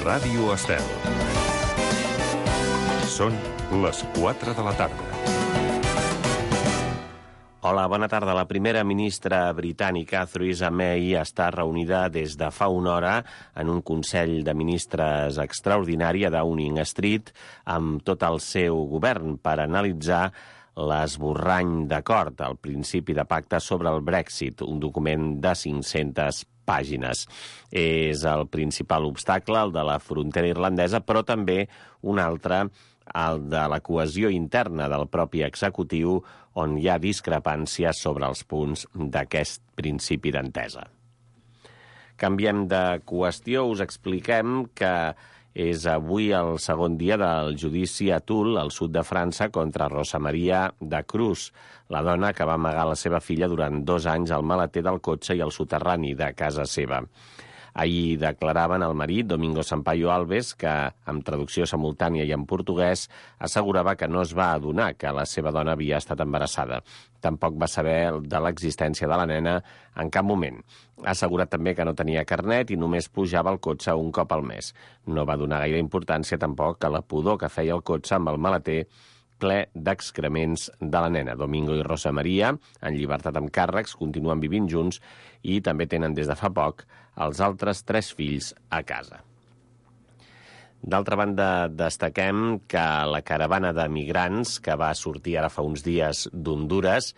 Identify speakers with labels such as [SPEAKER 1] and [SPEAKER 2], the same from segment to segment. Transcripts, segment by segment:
[SPEAKER 1] Ràdio Estel. Són les 4 de la tarda.
[SPEAKER 2] Hola, bona tarda. La primera ministra britànica, Theresa May, està reunida des de fa una hora en un Consell de Ministres extraordinari a Downing Street amb tot el seu govern per analitzar l'esborrany d'acord, el principi de pacte sobre el Brexit, un document de 500 pàgines. És el principal obstacle, el de la frontera irlandesa, però també un altre, el de la cohesió interna del propi executiu, on hi ha discrepàncies sobre els punts d'aquest principi d'entesa. Canviem de qüestió, us expliquem que és avui el segon dia del judici a Toul, al sud de França, contra Rosa Maria de Cruz, la dona que va amagar la seva filla durant 2 anys al maleter del cotxe i al soterrani de casa seva. Ahir declaraven el marit, Domingo Sampaio Alves, que, amb traducció simultània i en portuguès, assegurava que no es va adonar que la seva dona havia estat embarassada. Tampoc va saber de l'existència de la nena en cap moment. Ha assegurat també que no tenia carnet i només pujava al cotxe un cop al mes. No va donar gaire importància tampoc a la pudor que feia el cotxe amb el maleter ple d'excrements de la nena. Domingo i Rosa Maria, en llibertat amb càrrecs, continuen vivint junts i també tenen des de fa poc els altres 3 fills a casa. D'altra banda, destaquem que la caravana de migrants que va sortir ara fa uns dies d'Hondures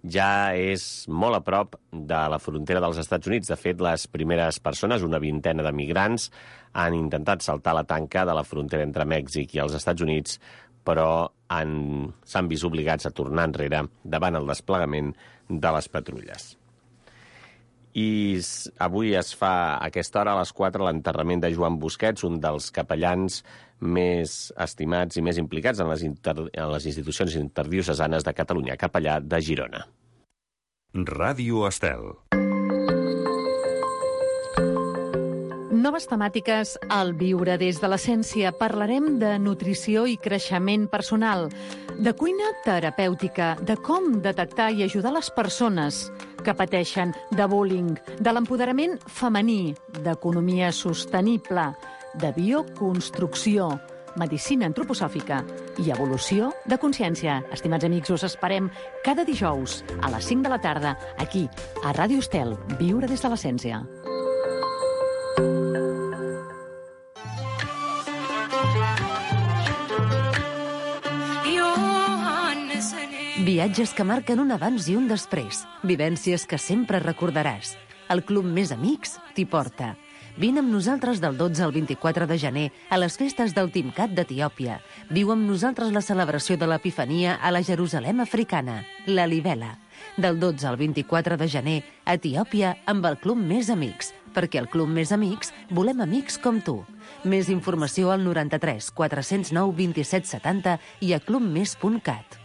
[SPEAKER 2] ja és molt a prop de la frontera dels Estats Units. De fet, les primeres persones, una vintena de migrants, han intentat saltar la tanca de la frontera entre Mèxic i els Estats Units, però s'han vist obligats a tornar enrere davant el desplegament de les patrulles. I avui es fa a aquesta hora, a les 4, l'enterrament de Joan Busquets, un dels capellans més estimats i més implicats en les institucions interdiocesanes de Catalunya, capellà de Girona.
[SPEAKER 1] Ràdio Estel.
[SPEAKER 3] Noves temàtiques al Viure des de l'Essència. Parlarem de nutrició i creixement personal, de cuina terapèutica, de com detectar i ajudar les persones que pateixen de bullying, de l'empoderament femení, d'economia sostenible, de bioconstrucció, medicina antroposòfica i evolució de consciència. Estimats amics, us esperem cada dijous a les 5 de la tarda, aquí, a Ràdio Estel, Viure des de l'Essència.
[SPEAKER 4] Viatges que marquen un abans i un després. Vivències que sempre recordaràs. El Club Més Amics t'hi porta. Vine amb nosaltres del 12 al 24 de gener a les festes del Timcat d'Etiòpia. Viu amb nosaltres la celebració de l'Epifania a la Jerusalem africana, la Libela. Del 12 al 24 de gener a Etiòpia amb el Club Més Amics, perquè al Club Més Amics volem amics com tu. Més informació al 93 409 27 70 i a clubmes.cat.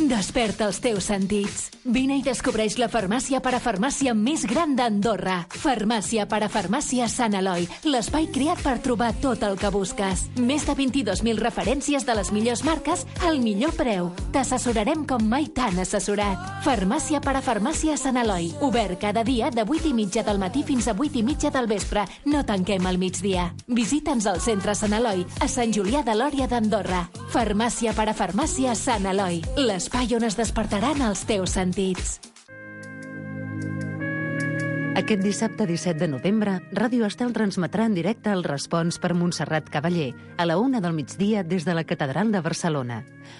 [SPEAKER 5] Desperta els teus sentits. Vine i descobreix la farmàcia parafarmàcia més gran d'Andorra. Farmàcia parafarmàcia Sant Eloi, l'espai creat per trobar tot el que busques. Més de 22.000 referències de les millors marques al millor preu. T'assessorarem com mai t'han assessorat. Farmàcia parafarmàcia Sant Eloi, obert cada dia de 8:30 del matí fins a 8:30 del vespre. No tanquem al migdia. Visita'ns al centre Sant Eloi, a Sant Julià de Lòria d'Andorra. Farmàcia parafarmàcia Sant Eloi, l'espai on es despertaran els teus sentits.
[SPEAKER 4] Aquest dissabte 17 de novembre, Ràdio Estel transmetrà en directe el Respons per Montserrat Cavaller a la 1 del migdia des de la Catedral de Barcelona.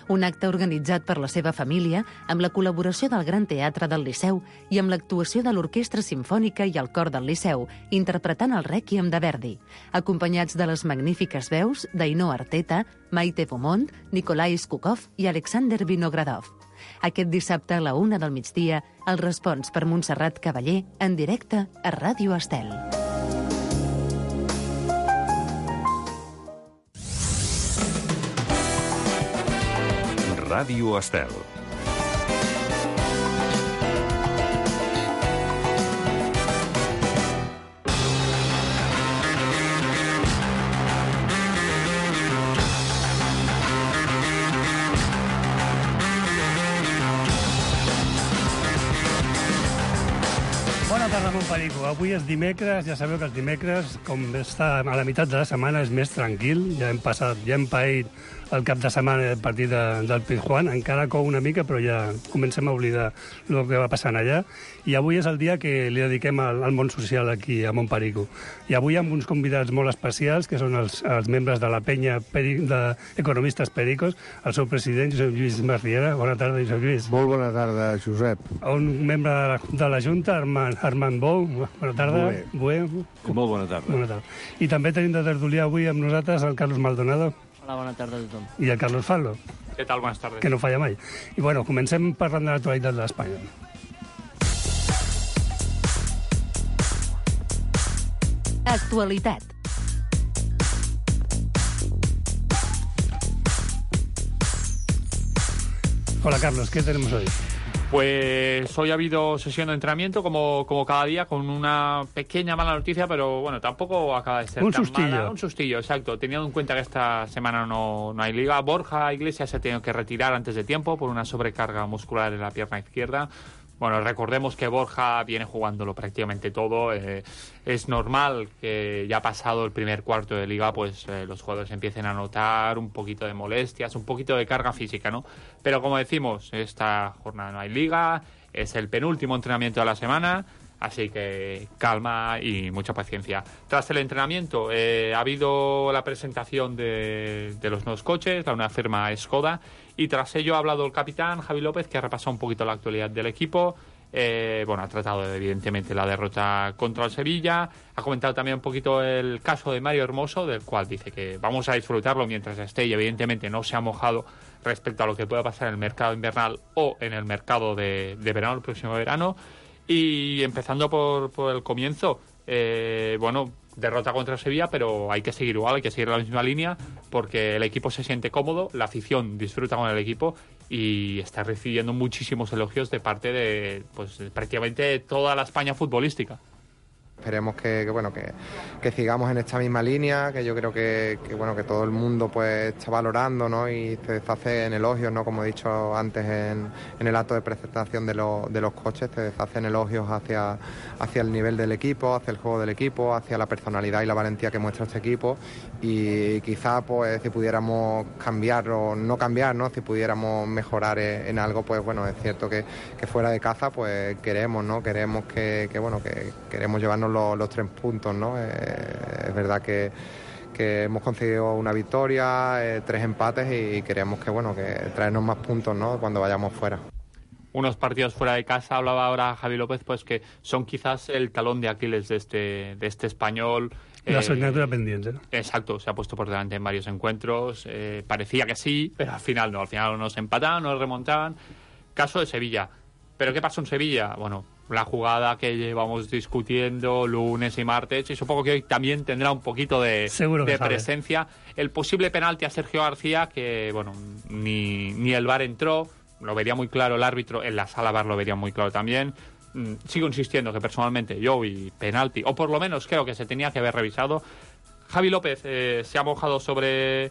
[SPEAKER 4] Un acte organitzat per la seva família amb la col·laboració del Gran Teatre del Liceu i amb l'actuació de l'Orquestra Simfònica i el Cor del Liceu, interpretant el Rèquiem de Verdi, acompanyats de les magnífiques veus d'Ainhoa Arteta, Maite Beaumont, Nikolai Skukov i Alexander Vinogradov. Aquest dissabte a la 1 del migdia, el Respons per Montserrat Cavaller en directe a Ràdio Estel.
[SPEAKER 1] Ràdio Estel.
[SPEAKER 6] Bona tarda, Montperico. Avui és dimecres, ja sabeu que els dimecres, com està a la meitat de la setmana, és més tranquil. Ja hem paït el cap de setmana del partit del Pizjuán. Encara cou una mica, però ja comencem a oblidar el que va passant allà. I avui és el dia que li dediquem al món social aquí a Montperico. I avui amb uns convidats molt especials, que són els membres de la penya d'Economistes Pericos, el seu president, Josep Lluís Masriera. Bona tarda, Josep Lluís.
[SPEAKER 7] Molt bona tarda, Josep.
[SPEAKER 6] Un membre de la Junta, Armand Bou. Bona tarda.
[SPEAKER 7] Molt bona tarda.
[SPEAKER 6] Bona tarda. I també tenim de tertulià avui amb nosaltres el Carlos Maldonado.
[SPEAKER 8] Hola, bona tarda a tothom.
[SPEAKER 6] I el Carlos Fallo.
[SPEAKER 8] Què tal? Buenas tardes.
[SPEAKER 6] Que no falla mai. I bueno, comencem parlant de l'actualitat d'Espanya.
[SPEAKER 3] Actualitat.
[SPEAKER 6] Hola, Carlos, ¿qué tenemos hoy?
[SPEAKER 8] Pues hoy ha habido sesión de entrenamiento como cada día, con una pequeña mala noticia, pero bueno, tampoco acaba de ser tan mala. Un sustillo, exacto. Teniendo en cuenta que esta semana no hay liga, Borja Iglesias se ha tenido que retirar antes de tiempo por una sobrecarga muscular en la pierna izquierda. Bueno, recordemos que Borja viene jugándolo prácticamente todo. Es normal que ya pasado el primer cuarto de liga, pues los jugadores empiecen a notar un poquito de molestias, un poquito de carga física, ¿no? Pero como decimos, esta jornada no hay liga, es el penúltimo entrenamiento de la semana, así que calma y mucha paciencia. Tras el entrenamiento ha habido la presentación de los nuevos coches, la nueva firma Skoda, y tras ello ha hablado el capitán Javi López, que ha repasado un poquito la actualidad del equipo. Ha tratado evidentemente la derrota contra el Sevilla, ha comentado también un poquito el caso de Mario Hermoso, del cual dice que vamos a disfrutarlo mientras esté, y evidentemente no se ha mojado respecto a lo que pueda pasar en el mercado invernal o en el mercado de verano, el próximo verano. Y empezando por el comienzo, derrota contra Sevilla, pero hay que seguir igual, hay que seguir la misma línea, porque el equipo se siente cómodo, la afición disfruta con el equipo y está recibiendo muchísimos elogios de parte de prácticamente toda la España futbolística.
[SPEAKER 9] Esperemos que sigamos en esta misma línea, que yo creo que todo el mundo pues está valorando, ¿no? Y se deshace en elogios, ¿no? Como he dicho antes en el acto de presentación de los coches, se deshacen elogios hacia el nivel del equipo, hacia el juego del equipo, hacia la personalidad y la valentía que muestra este equipo. Y quizá pues si pudiéramos cambiar o no cambiar, ¿no? Si pudiéramos mejorar en algo, pues bueno, es cierto que fuera de casa pues queremos, ¿no? Queremos que queremos llevarnos los 3 puntos, ¿no? Es verdad que hemos conseguido una victoria, 3 empates y queremos que traernos más puntos, ¿no? Cuando vayamos fuera.
[SPEAKER 8] Unos partidos fuera de casa, hablaba ahora Javi López, pues que son quizás el talón de Aquiles de este español.
[SPEAKER 6] La asignatura pendiente, ¿no?
[SPEAKER 8] Exacto, se ha puesto por delante en varios encuentros, parecía que sí, pero al final no, al final nos empataban, nos remontaban. Caso de Sevilla. ¿Pero qué pasó en Sevilla? Bueno, la jugada que llevamos discutiendo lunes y martes, y supongo que hoy también tendrá un poquito de presencia. El posible penalti a Sergio García, que bueno, ni el VAR entró, lo vería muy claro el árbitro, en la sala VAR lo vería muy claro también. Sigo insistiendo que personalmente yo vi penalti, o por lo menos creo que se tenía que haber revisado. Javi López se ha mojado sobre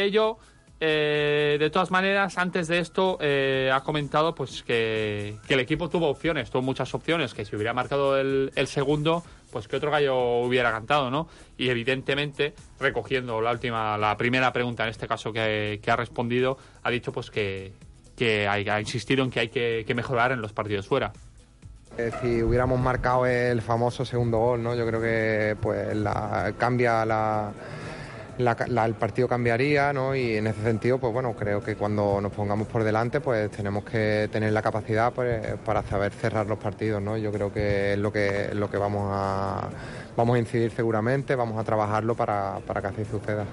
[SPEAKER 8] ello. De todas maneras, antes de esto ha comentado pues que el equipo tuvo muchas opciones, que si hubiera marcado el segundo, pues que otro gallo hubiera cantado, ¿no? Y evidentemente, recogiendo la primera pregunta en este caso que ha respondido, ha dicho pues que ha insistido en que hay que mejorar en los partidos fuera.
[SPEAKER 9] Si hubiéramos marcado el famoso segundo gol, ¿no? Yo creo que pues el partido cambiaría, ¿no? Y en ese sentido, pues bueno, creo que cuando nos pongamos por delante, pues tenemos que tener la capacidad pues, para saber cerrar los partidos, ¿no? Yo creo que es lo que vamos a incidir seguramente, vamos a trabajarlo para que así suceda.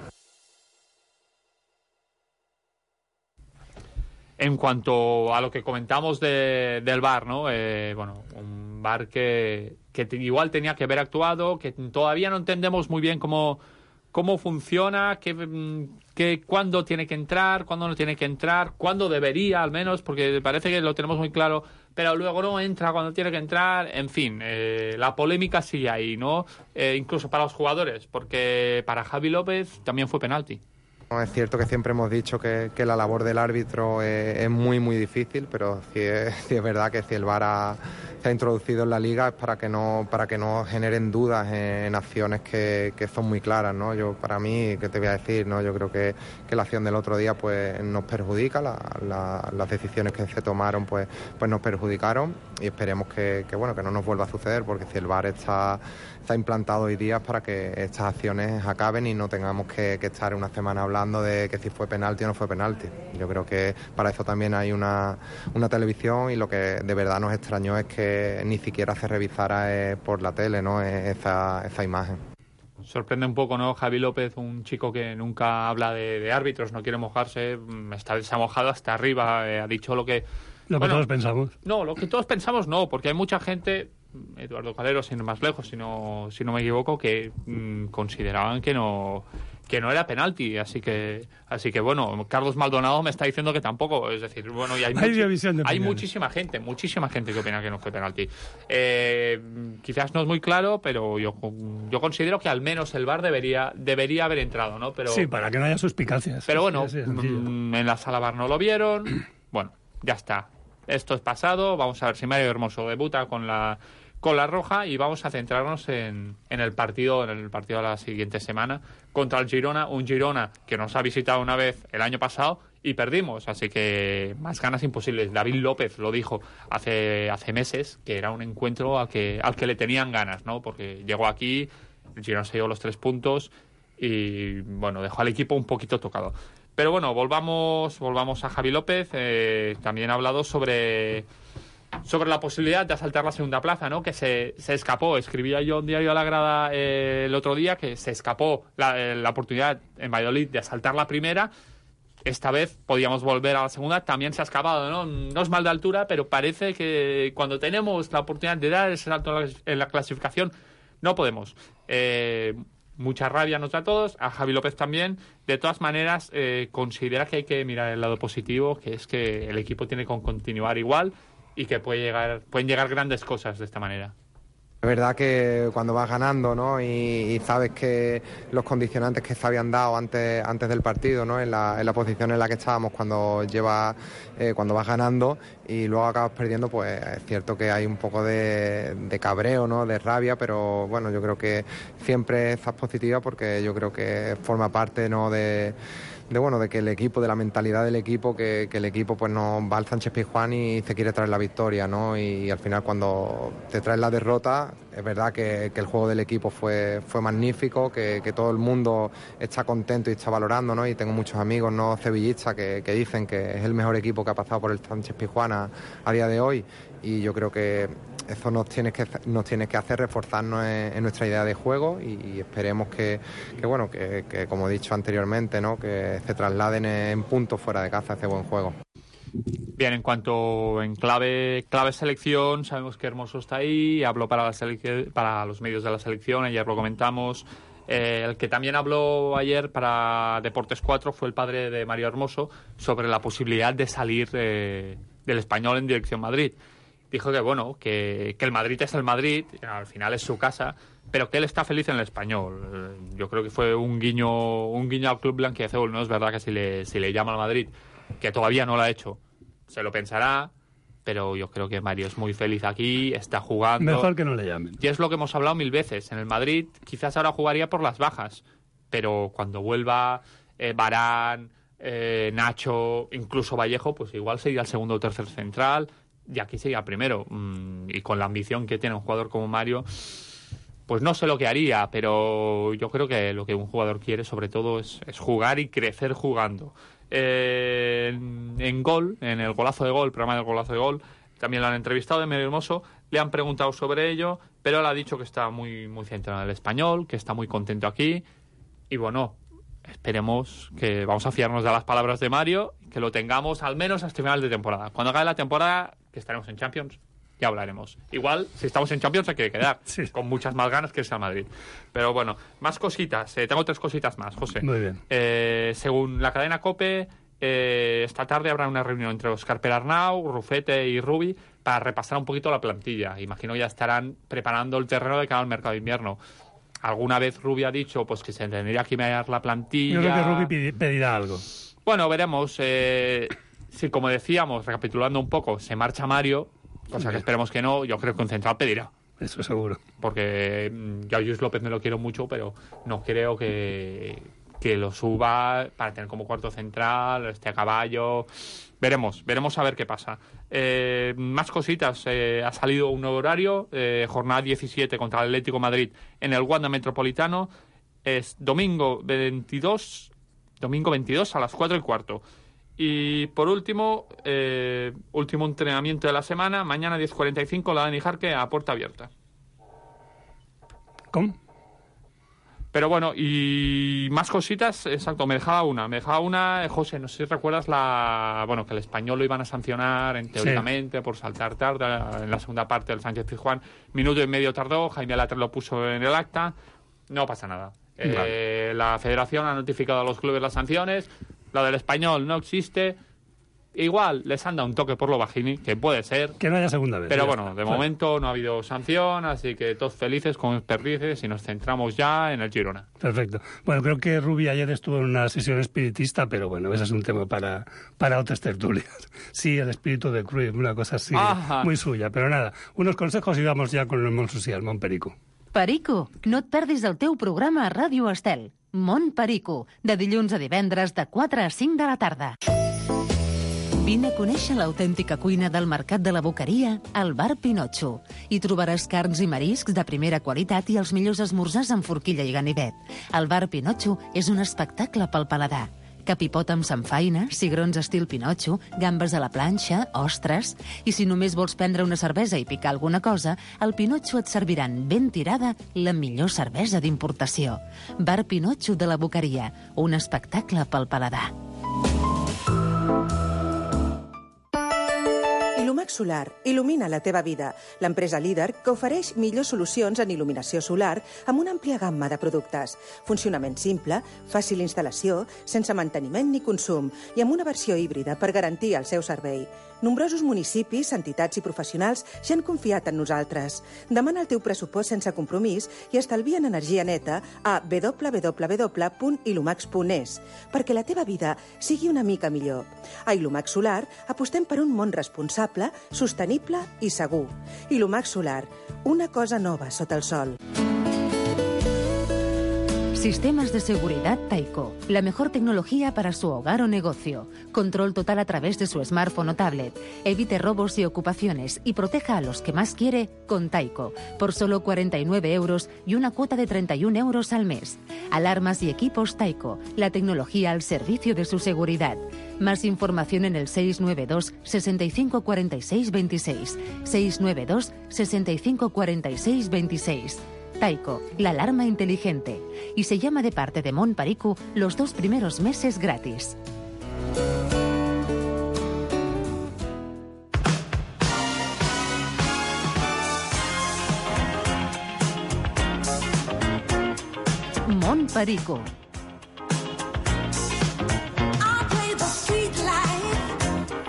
[SPEAKER 8] En cuanto a lo que comentamos del VAR, ¿no? Un VAR que igual tenía que haber actuado, que todavía no entendemos muy bien cómo funciona, que cuándo tiene que entrar, cuándo no tiene que entrar, cuándo debería al menos, porque parece que lo tenemos muy claro, pero luego no entra cuando tiene que entrar. En fin, la polémica sigue ahí, ¿no? Incluso para los jugadores, porque para Javi López también fue penalti.
[SPEAKER 9] Es cierto que siempre hemos dicho que la labor del árbitro es muy muy difícil, pero sí es verdad que si el VAR ha ha introducido en la Liga es para que no generen dudas en acciones que son muy claras, ¿no? Para mí, ¿qué te voy a decir? ¿No? Yo creo que la acción del otro día pues nos perjudica, las decisiones que se tomaron pues nos perjudicaron, y esperemos que no nos vuelva a suceder, porque si el VAR está implantado hoy día para que estas acciones acaben y no tengamos que estar una semana hablando de que si fue penalti o no fue penalti. Yo creo que para eso también hay una televisión, y lo que de verdad nos extrañó es que ni siquiera se revisara por la tele, ¿no? esa imagen.
[SPEAKER 8] Sorprende un poco, ¿no? Javi López, un chico que nunca habla de árbitros, no quiere mojarse, se ha mojado hasta arriba, ha dicho lo que
[SPEAKER 6] todos pensamos.
[SPEAKER 8] No, lo que todos pensamos no, porque hay mucha gente, Eduardo Calero, sin ir más lejos, si no me equivoco, que consideraban que no era penalti, así que bueno, Carlos Maldonado me está diciendo que tampoco, es decir, bueno, y hay muchísima gente que opina que no fue penalti. Quizás no es muy claro, pero yo considero que al menos el VAR debería haber entrado, ¿no? Pero
[SPEAKER 6] sí, para que no haya suspicacias.
[SPEAKER 8] Pero bueno, en la sala VAR no lo vieron. Bueno, ya está. Esto es pasado. Vamos a ver si Mario Hermoso debuta con la roja, y vamos a centrarnos en el partido de la siguiente semana contra el Girona, un Girona que nos ha visitado una vez el año pasado y perdimos, así que más ganas imposibles. David López lo dijo hace meses, que era un encuentro al que le tenían ganas, ¿no? Porque llegó aquí, el Girona se llevó los 3 puntos y bueno, dejó al equipo un poquito tocado. Pero bueno, volvamos a Javi López. También ha hablado sobre la posibilidad de asaltar la segunda plaza, ¿no? Que se escapó. Escribía yo en Diario a la Grada el otro día que se escapó la oportunidad en Valladolid de asaltar la primera. Esta vez podíamos volver a la segunda. También se ha escapado, ¿no? No es mal de altura, pero parece que cuando tenemos la oportunidad de dar ese salto en la clasificación, no podemos. Mucha rabia nos da a todos, a Javi López también. De todas maneras, considera que hay que mirar el lado positivo, que es que el equipo tiene que continuar igual y que pueden llegar grandes cosas de esta manera.
[SPEAKER 9] Es verdad que cuando vas ganando, ¿no? y sabes que los condicionantes que se habían dado antes del partido, ¿no? en la posición en la que estábamos cuando vas ganando y luego acabas perdiendo, pues es cierto que hay un poco de cabreo, ¿no? De rabia, pero bueno, yo creo que siempre estás positiva, porque yo creo que forma parte, ¿no? de que el equipo, de la mentalidad del equipo, que el equipo pues no va al Sánchez Pizjuán y se quiere traer la victoria, ¿no? Y al final, cuando te traes la derrota, es verdad que el juego del equipo fue magnífico, que todo el mundo está contento y está valorando, ¿no? Y tengo muchos amigos, ¿no? Sevillistas que dicen que es el mejor equipo que ha pasado por el Sánchez Pizjuán a día de hoy, y yo creo que eso nos tiene que hacer reforzarnos en nuestra idea de juego, y esperemos que como he dicho anteriormente, ¿no? Que se trasladen en puntos fuera de casa ese buen juego.
[SPEAKER 8] Bien, en clave selección, sabemos que Hermoso está ahí, habló para los medios de la selección, ayer lo comentamos. El que también habló ayer para Deportes 4 fue el padre de Mario Hermoso sobre la posibilidad de salir del Español en dirección Madrid. Dijo que el Madrid es el Madrid, al final es su casa, pero que él está feliz en el Español. Yo creo que fue un guiño al club blanquiazul. No es verdad que si le llama al Madrid, que todavía no lo ha hecho, se lo pensará, pero yo creo que Mario es muy feliz aquí, está jugando.
[SPEAKER 6] Mejor que no le llamen.
[SPEAKER 8] Y es lo que hemos hablado 1000 veces. En el Madrid quizás ahora jugaría por las bajas, pero cuando vuelva Varane, Nacho, incluso Vallejo, pues igual sería el segundo o tercer central, y aquí sería el primero. Y con la ambición que tiene un jugador como Mario, pues no sé lo que haría, pero yo creo que lo que un jugador quiere sobre todo es jugar y crecer jugando. En el golazo de gol, programa del golazo de gol, también lo han entrevistado de Mario Hermoso, le han preguntado sobre ello, pero él ha dicho que está muy, muy centrado en el Español, que está muy contento aquí, y bueno, esperemos que vamos a fiarnos de las palabras de Mario, que lo tengamos al menos hasta final de temporada. Cuando acabe la temporada, que estaremos en Champions, ya hablaremos. Igual, si estamos en Champions, hay que quedar sí, con muchas más ganas que irse al Madrid. Pero bueno, más cositas. Tengo 3 cositas más, José.
[SPEAKER 6] Muy bien.
[SPEAKER 8] Según la cadena COPE, esta tarde habrá una reunión entre Óscar Perarnau, Rufete y Rubi para repasar un poquito la plantilla. Imagino ya estarán preparando el terreno de cara al mercado de invierno. Alguna vez Rubi ha dicho pues que se tendría que mirar la plantilla.
[SPEAKER 6] Yo creo que Rubi pedirá algo.
[SPEAKER 8] Bueno, veremos. Sí, como decíamos, recapitulando un poco, se marcha Mario. cosa que esperemos que no. Yo creo que un central pedirá.
[SPEAKER 6] Eso seguro.
[SPEAKER 8] Porque yo a Lluís López me lo quiero mucho, pero no creo que lo suba para tener como cuarto central, a caballo. Veremos a ver qué pasa. Más cositas. Ha salido un nuevo horario, jornada 17 contra el Atlético de Madrid en el Wanda Metropolitano. Es domingo 22 a las 4:15. Y por último, último entrenamiento de la semana, mañana 10:45, la Dani Jarque a puerta abierta.
[SPEAKER 6] ¿Cómo?
[SPEAKER 8] Pero bueno, y más cositas, exacto, me dejaba una, José, no sé si recuerdas que el Español lo iban a sancionar, teóricamente, por saltar tarde en la segunda parte del Sánchez-Pizjuán. Minuto y medio tardó, Jaime Latre lo puso en el acta, no pasa nada. Vale. La Federación ha notificado a los clubes las sanciones, la del Español no existe. Igual les han dado un toque por lo bajini, que puede ser.
[SPEAKER 6] Que no haya segunda vez.
[SPEAKER 8] Pero bueno, de momento no ha habido sanción, así que todos felices con perdices y nos centramos ya en el Girona.
[SPEAKER 6] Perfecto. Bueno, creo que Rubi ayer estuvo en una sesión espiritista, pero bueno, ese es un tema para otras tertulias. Sí, el espíritu de Cruyff, una cosa así, muy suya. Pero nada, unos consejos y vamos ya con el món social, Món Perico.
[SPEAKER 4] Perico, no et perdis el teu programa a Ràdio Estel. Món Perico, de dilluns a divendres de 4 a 5 de la tarda. Vine a conèixer l'autèntica cuina del Mercat de la Boqueria al Bar Pinotxo. Hi trobaràs carns i mariscs de primera qualitat i els millors esmorzars amb forquilla i ganivet. El Bar Pinotxo és un espectacle pel paladar. Capipot amb samfaina, cigrons estil Pinotxo, gambes a la planxa, ostres... I si només vols prendre una cervesa i picar alguna cosa, al Pinotxo et serviran ben tirada la millor cervesa d'importació. Bar Pinotxo de la Boqueria, un espectacle pel paladar.
[SPEAKER 10] Ilumax Solar il·lumina la teva vida. L'empresa líder que ofereix millors solucions en il·luminació solar amb una àmplia gamma de productes. Funcionament simple, fàcil instal·lació, sense manteniment ni consum i amb una versió híbrida per garantir el seu servei. Nombrosos municipis, entitats i professionals ja han confiat en nosaltres. Demana el teu pressupost sense compromís i estalvia en energia neta a www.ilumax.es perquè la teva vida sigui una mica millor. A Ilumax Solar apostem per un món responsable, sostenible i segur. Ilumax Solar, una cosa nova sota el sol.
[SPEAKER 4] Sistemas de seguridad Taiko, la mejor tecnología para su hogar o negocio. Control total a través de su smartphone o tablet. Evite robos y ocupaciones y proteja a los que más quiere con Taiko, por solo 49 euros y una cuota de 31 euros al mes. Alarmas y equipos Taiko, la tecnología al servicio de su seguridad. Más información en el 692 65 46 26. 692 65 46 26. Taiko, la alarma inteligente. Y se llama de parte de Món Perico los 2 primeros meses gratis. Món Perico.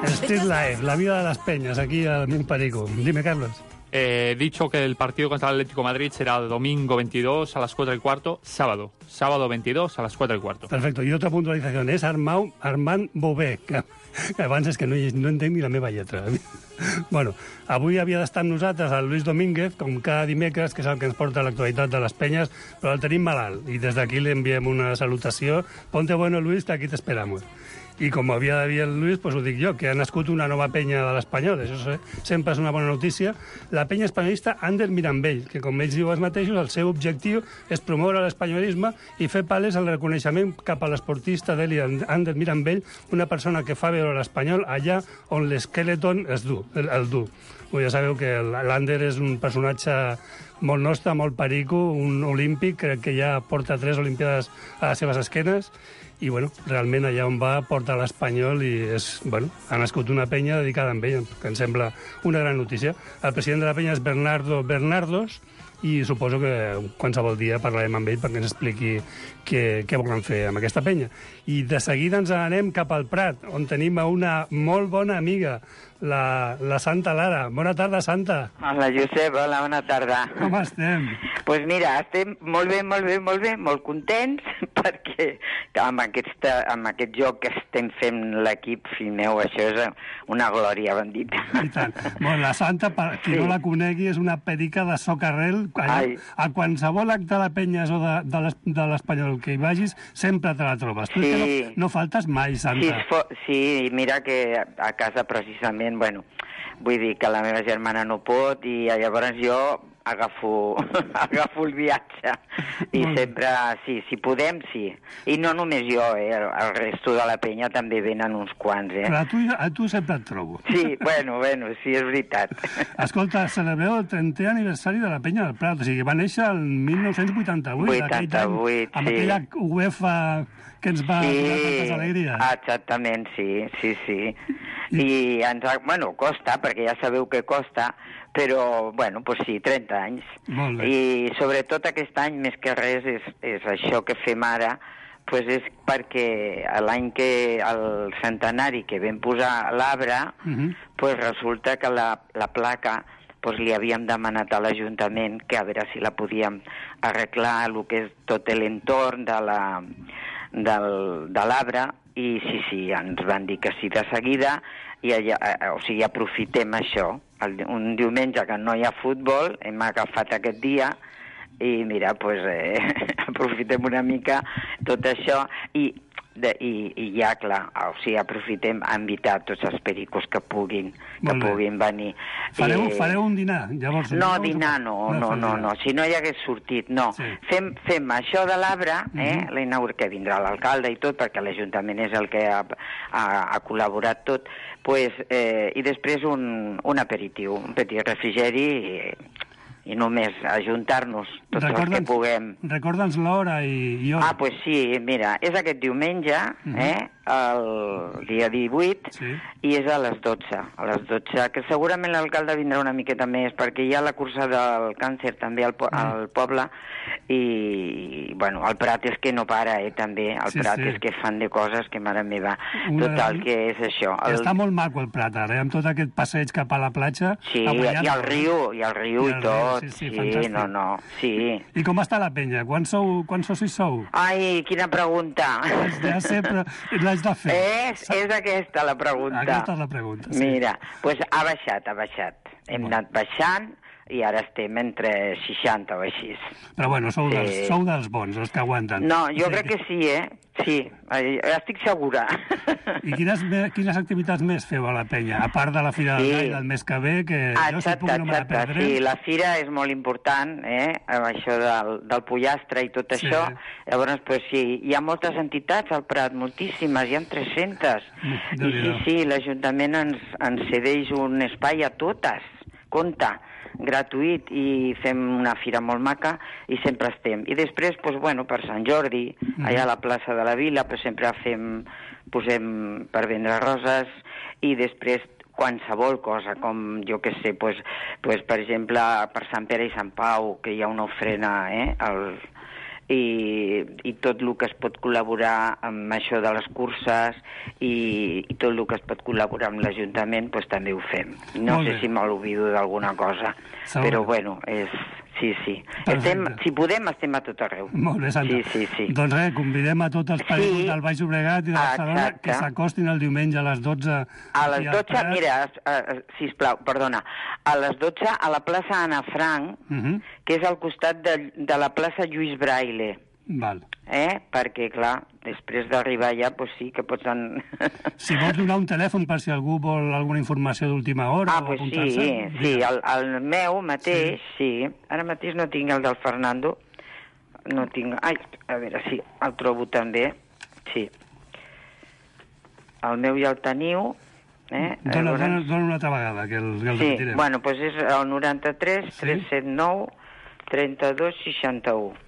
[SPEAKER 6] Street Life, la vida de las peñas, aquí al Món Perico. Dime, Carlos.
[SPEAKER 8] He dicho que el partido contra el Atlético de Madrid será domingo 22 a las 4:15, sábado 22 a las 4:15.
[SPEAKER 6] Perfecto, i otra puntualització, és Armand Bové, que abans és que no entenc ni la meva lletra. Bueno, avui havia d'estar amb nosaltres el Luis Domínguez, com cada dimecres, que és el que ens porta l'actualitat de les penyes, però el tenim malalt, i des d'aquí li enviem una salutació. Ponte bueno, Luis, que aquí t'esperamos. I com havia de dir el Lluís, doncs ho dic jo, que ha nascut una nova penya de l'Espanyol. Això sempre és una bona notícia. La penya espanyolista Ander Mirambell, que com ells diuen mateixos, el seu objectiu és promoure l'espanyolisme i fer palès el reconeixement cap a l'esportista d'Eli Ander Mirambell, una persona que fa veure l'espanyol allà on l'esqueleton el du. Ja sabeu que l'Ander és un personatge molt nostre, molt perico, un olímpic, crec que ja porta 3 olimpiades a les seves esquenes, i bueno, realment allà on va porta l'Espanyol i ha nascut una penya dedicada a ell, que em sembla una gran notícia. El president de la penya és Bernardo Bernardos i suposo que qualsevol dia parlarem amb ell perquè ens expliqui què volen fer amb aquesta penya. I de seguida ens anem cap al Prat, on tenim una molt bona amiga, la Santa Lara. Bona tarda, Santa.
[SPEAKER 11] Hola, Josep. Hola, bona tarda.
[SPEAKER 6] Com estem?
[SPEAKER 11] Doncs mira, estem molt bé, molt contents, perquè amb aquest joc que estem fent l'equip, fill meu, això és una glòria bendita.
[SPEAKER 6] I tant. Bueno, la Santa, per qui no la conegui, és una perica de socarrel. A qualsevol acte de penyes o de l'Espanyol que hi vagis, sempre te la trobes. Tu no faltes mai, Santa.
[SPEAKER 11] Sí, mira que a casa precisament, bueno, vull dir que la meva germana no pot i llavors jo agafo el viatge i sempre, sí, si podem, sí. I no només jo, el resto de la penya també venen uns quants,
[SPEAKER 6] Però a tu sempre et trobo.
[SPEAKER 11] Sí, bueno, sí, és veritat.
[SPEAKER 6] Escolta, celebreu el 30è aniversari de la Penya del Prat, o sigui, va néixer el 1988, amb aquella UEFA que ens va donar tantes alegries.
[SPEAKER 11] Exactament, sí. I ens costa, perquè ja sabeu que costa, però, bueno, doncs sí, 30 anys.
[SPEAKER 6] Molt bé.
[SPEAKER 11] I sobretot aquest any, més que res, és això que fem ara, doncs és perquè l'any que el centenari que vam posar l'arbre, doncs resulta que la placa doncs li havíem demanat a l'Ajuntament que a veure si la podíem arreglar el que és tot l'entorn de l'arbre, i sí, ens van dir que sí de seguida, i o sigui, aprofitem això. Un diumenge que no hi ha futbol, hem agafat aquest dia, i mira, doncs aprofitem una mica tot això, i ja, clar, o sigui, aprofitem a invitar tots els pericos que puguin venir.
[SPEAKER 6] Fareu un dinar, llavors?
[SPEAKER 11] No, dinar no, si no hi hagués sortit, no.
[SPEAKER 6] Sí.
[SPEAKER 11] Fem això de l'arbre, que vindrà l'alcalde i tot, perquè l'Ajuntament és el que ha col·laborat tot, i després un aperitiu, un petit refrigeri, i només ajuntar-nos tots els que puguem.
[SPEAKER 6] Recorda'ns l'hora i hora.
[SPEAKER 11] Doncs sí, mira, és aquest diumenge, el dia 18, i és a les 12. A les 12, que segurament l'alcalde vindrà una miqueta més, perquè hi ha la cursa del càncer també al poble, i, bueno, el Prat és que no para, també. El Prat és que fan de coses que, mare meva, total, que és això.
[SPEAKER 6] Està molt maco el Prat, ara, amb tot aquest passeig cap a la platja.
[SPEAKER 11] Sí, i el riu i tot.
[SPEAKER 6] Sí, fantàstic.
[SPEAKER 11] Sí.
[SPEAKER 6] I com està la penya? Quants socis sou?
[SPEAKER 11] Ai, quina pregunta.
[SPEAKER 6] Ja sé, però l'haig de fer.
[SPEAKER 11] És aquesta la pregunta.
[SPEAKER 6] Aquesta és la pregunta, sí.
[SPEAKER 11] Mira, doncs ha baixat. Hem anat baixant i ara estem entre 60 o així.
[SPEAKER 6] Però bueno, sou dels bons, els que aguanten.
[SPEAKER 11] No, jo crec que sí, Sí, estic segura.
[SPEAKER 6] I quines activitats més feu a la penya? A part de la Fira del Gai del mes que ve, que jo suposo que no me la perdré.
[SPEAKER 11] Sí, la fira és molt important, amb això del pollastre i tot això. Llavors, doncs sí, hi ha moltes entitats al Prat, moltíssimes, hi ha 300. I sí, l'Ajuntament ens cedeix un espai a totes, compte, gratuït, i fem una fira molt maca i sempre estem. I després, doncs, bueno, per Sant Jordi, allà a la plaça de la Vila, doncs sempre posem per vendre roses, i després qualsevol cosa, com jo que sé, doncs, per exemple, per Sant Pere i Sant Pau, que hi ha una ofrena, i tot el que es pot col·laborar amb això de les curses i tot el que es pot col·laborar amb l'Ajuntament, doncs també ho fem. No sé si m'oblido d'alguna cosa, però bueno, sí. Si podem, estem a tot arreu.
[SPEAKER 6] Molt bé, Santa.
[SPEAKER 11] Sí.
[SPEAKER 6] Doncs res, convidem a tots els països del Baix Llobregat i de Barcelona que s'acostin el diumenge a les 12.
[SPEAKER 11] A les 12, mira, sisplau, perdona, a les 12 a la plaça Anna Frank, que és al costat de la plaça Lluís Braille.
[SPEAKER 6] Val.
[SPEAKER 11] Perquè, clar, després d'arribar allà, doncs sí que pots...
[SPEAKER 6] Si vols donar un telèfon per si algú vol alguna informació d'última hora o apuntar-se...
[SPEAKER 11] Sí, el meu mateix, sí. Ara mateix no tinc el del Fernando. No tinc... Ai, a veure, sí, el trobo també. Sí. El meu ja el teniu.
[SPEAKER 6] Dóna una altra vegada, que el repetirem.
[SPEAKER 11] Sí, bueno, doncs és el 93 379 32 61.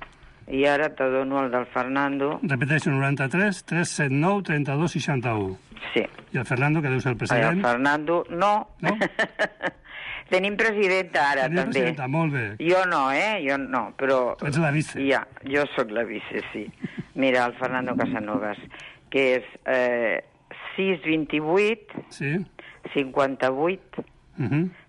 [SPEAKER 11] I ara te dono el del Fernando.
[SPEAKER 6] Repeteixo, 93 379 32 61.
[SPEAKER 11] Sí.
[SPEAKER 6] I el Fernando, que deu ser el president?
[SPEAKER 11] El Fernando, no. Tenim presidenta ara, també.
[SPEAKER 6] Presidenta, molt bé.
[SPEAKER 11] Jo no, jo no, però...
[SPEAKER 6] Tu ets la vice.
[SPEAKER 11] Ja, jo sóc la vice, sí. Mira, el Fernando Casanovas, que és 628 58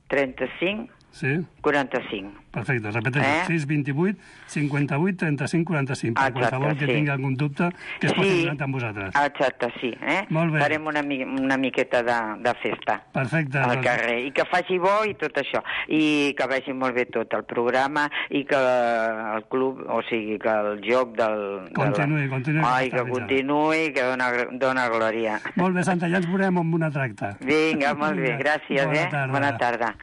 [SPEAKER 11] 35
[SPEAKER 6] Sí?
[SPEAKER 11] 45.
[SPEAKER 6] Perfecte, repeteixo, 6 28 58 35 45. Per qualsevol que tingui algun dubte, que es posi en amb vosaltres.
[SPEAKER 11] Exacte, sí.
[SPEAKER 6] Molt bé.
[SPEAKER 11] Farem una miqueta de festa.
[SPEAKER 6] Perfecte.
[SPEAKER 11] Al carrer. I que faci bo i tot això. I que vagi molt bé tot el programa i que el club, o sigui, que el joc del...
[SPEAKER 6] Continuï.
[SPEAKER 11] Ai, que continuï, que dona glòria.
[SPEAKER 6] Molt bé, Santa, ja ens veurem amb una tracta.
[SPEAKER 11] Vinga, molt bé, gràcies, Bona tarda.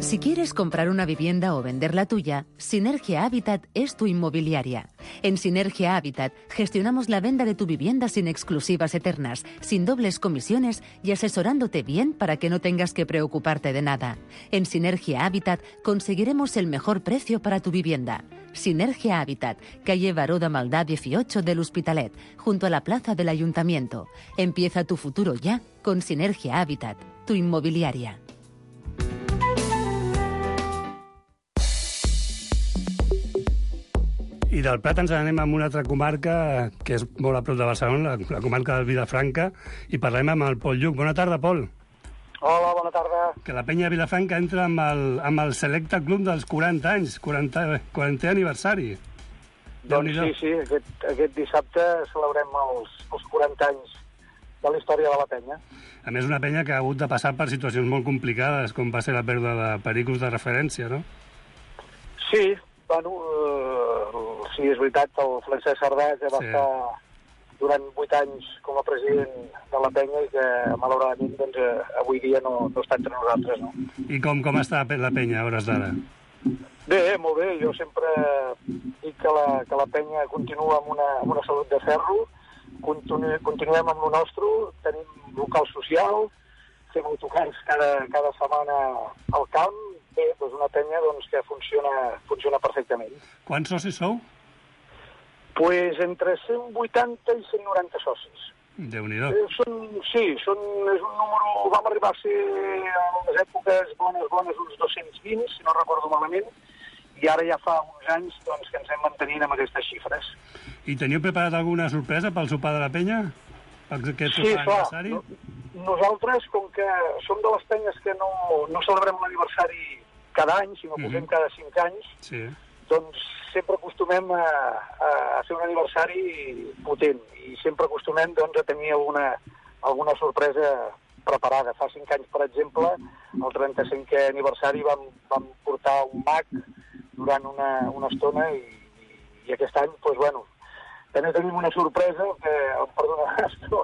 [SPEAKER 4] Si quieres comprar una vivienda o vender la tuya, Sinergia Habitat es tu inmobiliaria. En Sinergia Habitat gestionamos la venta de tu vivienda sin exclusivas eternas, sin dobles comisiones y asesorándote bien para que no tengas que preocuparte de nada. En Sinergia Habitat conseguiremos el mejor precio para tu vivienda. Sinergia Habitat, calle Baró de Maldà 18 del Hospitalet, junto a la plaza del Ayuntamiento. Empieza tu futuro ya con Sinergia Habitat, tu inmobiliaria.
[SPEAKER 6] I del Prat ens anem a una altra comarca que és molt a prop de Barcelona, la comarca del Vilafranca, i parlem amb el Pol Lluc. Bona tarda, Pol.
[SPEAKER 12] Hola, bona tarda.
[SPEAKER 6] Que la penya de Vilafranca entra amb el Selecta Club dels 40 anys, 40è aniversari.
[SPEAKER 12] Doncs sí, aquest dissabte celebrem els 40 anys de la història de la penya.
[SPEAKER 6] A més, una penya que ha hagut de passar per situacions molt complicades, com va ser la pèrdua de pericos de referència, no?
[SPEAKER 12] Sí, sí, és veritat, el Francesc Cerdà ja va estar durant 8 anys com a president de la penya i que, malauradament, doncs, avui dia no està entre nosaltres, no?
[SPEAKER 6] I com està la penya a hores d'ara?
[SPEAKER 12] Bé, molt bé. Jo sempre dic que la penya continua amb una salut de ferro, continuem amb el nostre, tenim local social, fem autocars cada setmana al camp. Bé, doncs una penya que funciona perfectament.
[SPEAKER 6] Quants socis sou?
[SPEAKER 12] Pues entre 180 i 190 socis.
[SPEAKER 6] Déu-n'hi-do.
[SPEAKER 12] És un número... Vam arribar a ser en les èpoques bones uns 220, si no recordo malament, i ara ja fa uns anys que ens hem mantenint amb aquestes xifres.
[SPEAKER 6] I teniu preparat alguna sorpresa pel sopar de la penya?
[SPEAKER 12] Sí, clar. Nosaltres, com que som de les penyes que no celebrem l'aniversari cada any, sinó que ho fem cada 5 anys, doncs sempre acostumem a fer un aniversari potent i sempre acostumem a tenir alguna sorpresa preparada. Fa 5 anys, per exemple, el 35è aniversari vam portar un mag durant una estona i aquest any, doncs, bueno, també tenim una sorpresa que, em perdonaràs, però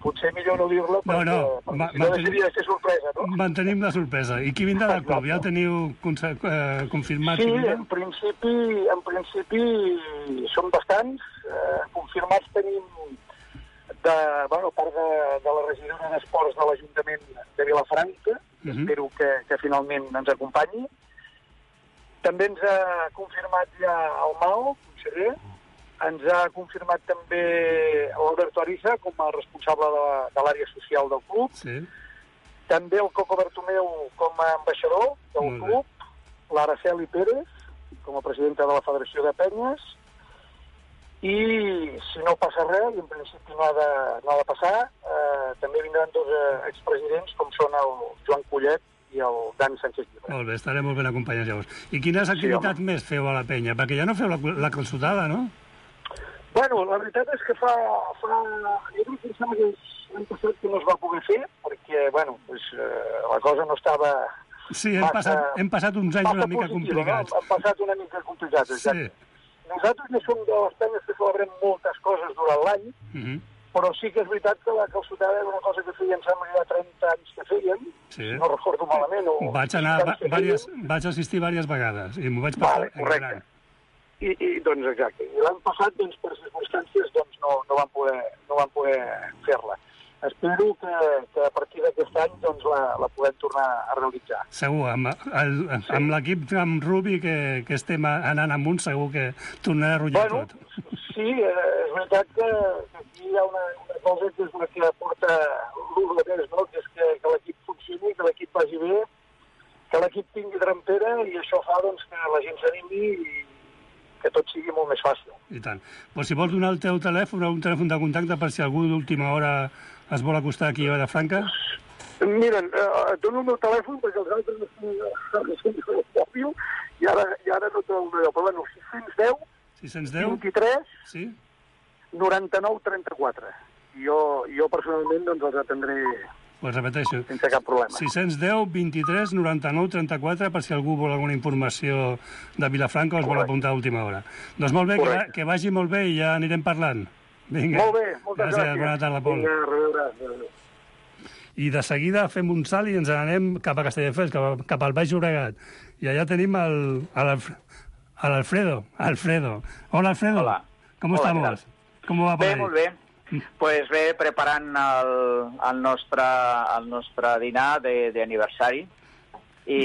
[SPEAKER 12] potser millor no dir-la perquè no deixaria de ser sorpresa, no?
[SPEAKER 6] Mantenim la sorpresa. I qui vindrà del club? Ja ho teniu confirmat?
[SPEAKER 12] Sí, en principi som bastants. Confirmats tenim a part de la regidora d'Esports de l'Ajuntament de Vilafranca, espero que finalment ens acompanyi. També ens ha confirmat ja el Mao, conseller. Ens ha confirmat també l'Alberto Ariza com a responsable de l'àrea social del club.
[SPEAKER 6] Sí.
[SPEAKER 12] També el Coco Bertomeu com a ambaixador del club. L'Araceli Pérez com a presidenta de la Federació de Penyes. I si no passa res, i en principi no ha de passar, també vindran 2 expresidents com són el Joan Collet i el Dani Sánchez Llibre.
[SPEAKER 6] Molt bé, estarem molt ben acompanyats llavors. I quines activitats més feu a la penya? Perquè ja no feu la calçotada, no?
[SPEAKER 12] Bueno, la veritat és que jo crec que sembla que l'any passat que no es va poder fer, perquè, bueno, la cosa no estava...
[SPEAKER 6] Sí, hem passat uns anys una mica complicats.
[SPEAKER 12] No? Hem passat una mica complicats, exacte. Sí. Nosaltres ja som de les penyes que celebrem moltes coses durant l'any, però sí que és veritat que la calçotada era una cosa que feien, sembla que hi ha 30 anys que feien, no recordo malament.
[SPEAKER 6] Vaig assistir diverses vegades i m'ho vaig passar
[SPEAKER 12] correcte. I doncs exacte. I l'any passat, per circumstàncies, no van poder fer-la. Espero que a partir d'aquest any la podem tornar a realitzar.
[SPEAKER 6] Segur, amb l'equip amb Rubi que estem anant amunt, segur que tornarà a rotllar tot.
[SPEAKER 12] Sí, és veritat que aquí hi ha una cosa que és la que porta l'Urbanès, no? Que és que l'equip funcioni, que l'equip vagi bé, que l'equip tingui drampera i això fa que la gent s'animi i que tot sigui molt més fàcil.
[SPEAKER 6] I tant. Pues si vols donar el teu telèfon o un telèfon de contacte per si algú d'última hora es vol acostar aquí a Vilafranca.
[SPEAKER 12] Mira, et dono el meu telèfon perquè els altres no són el mòbil i ara no trobo el meu. Però bueno, 610 23
[SPEAKER 6] sí?
[SPEAKER 12] 99 34. Jo personalment doncs els atendré
[SPEAKER 6] repeteixo.
[SPEAKER 12] Sense cap problema.
[SPEAKER 6] 610 23 99 34 per si algú vol alguna informació de Vilafranca o es vol apuntar a última hora. Doncs molt bé, que vagi molt bé i ja anirem parlant. Vinga.
[SPEAKER 12] Molt bé, moltes gràcies.
[SPEAKER 6] Bona tarda, Pol.
[SPEAKER 12] Vinga, a reveure.
[SPEAKER 6] I de seguida fem un salt i ens anem cap a Castelldefels, cap al Baix Llobregat. I allà tenim l'Alfredo. Hola, Alfredo.
[SPEAKER 13] Hola.
[SPEAKER 6] ¿Cómo estamos? ¿Cómo va por ahí?
[SPEAKER 13] Molt bé. Pues bé, preparant el nostre dinar d'aniversari i,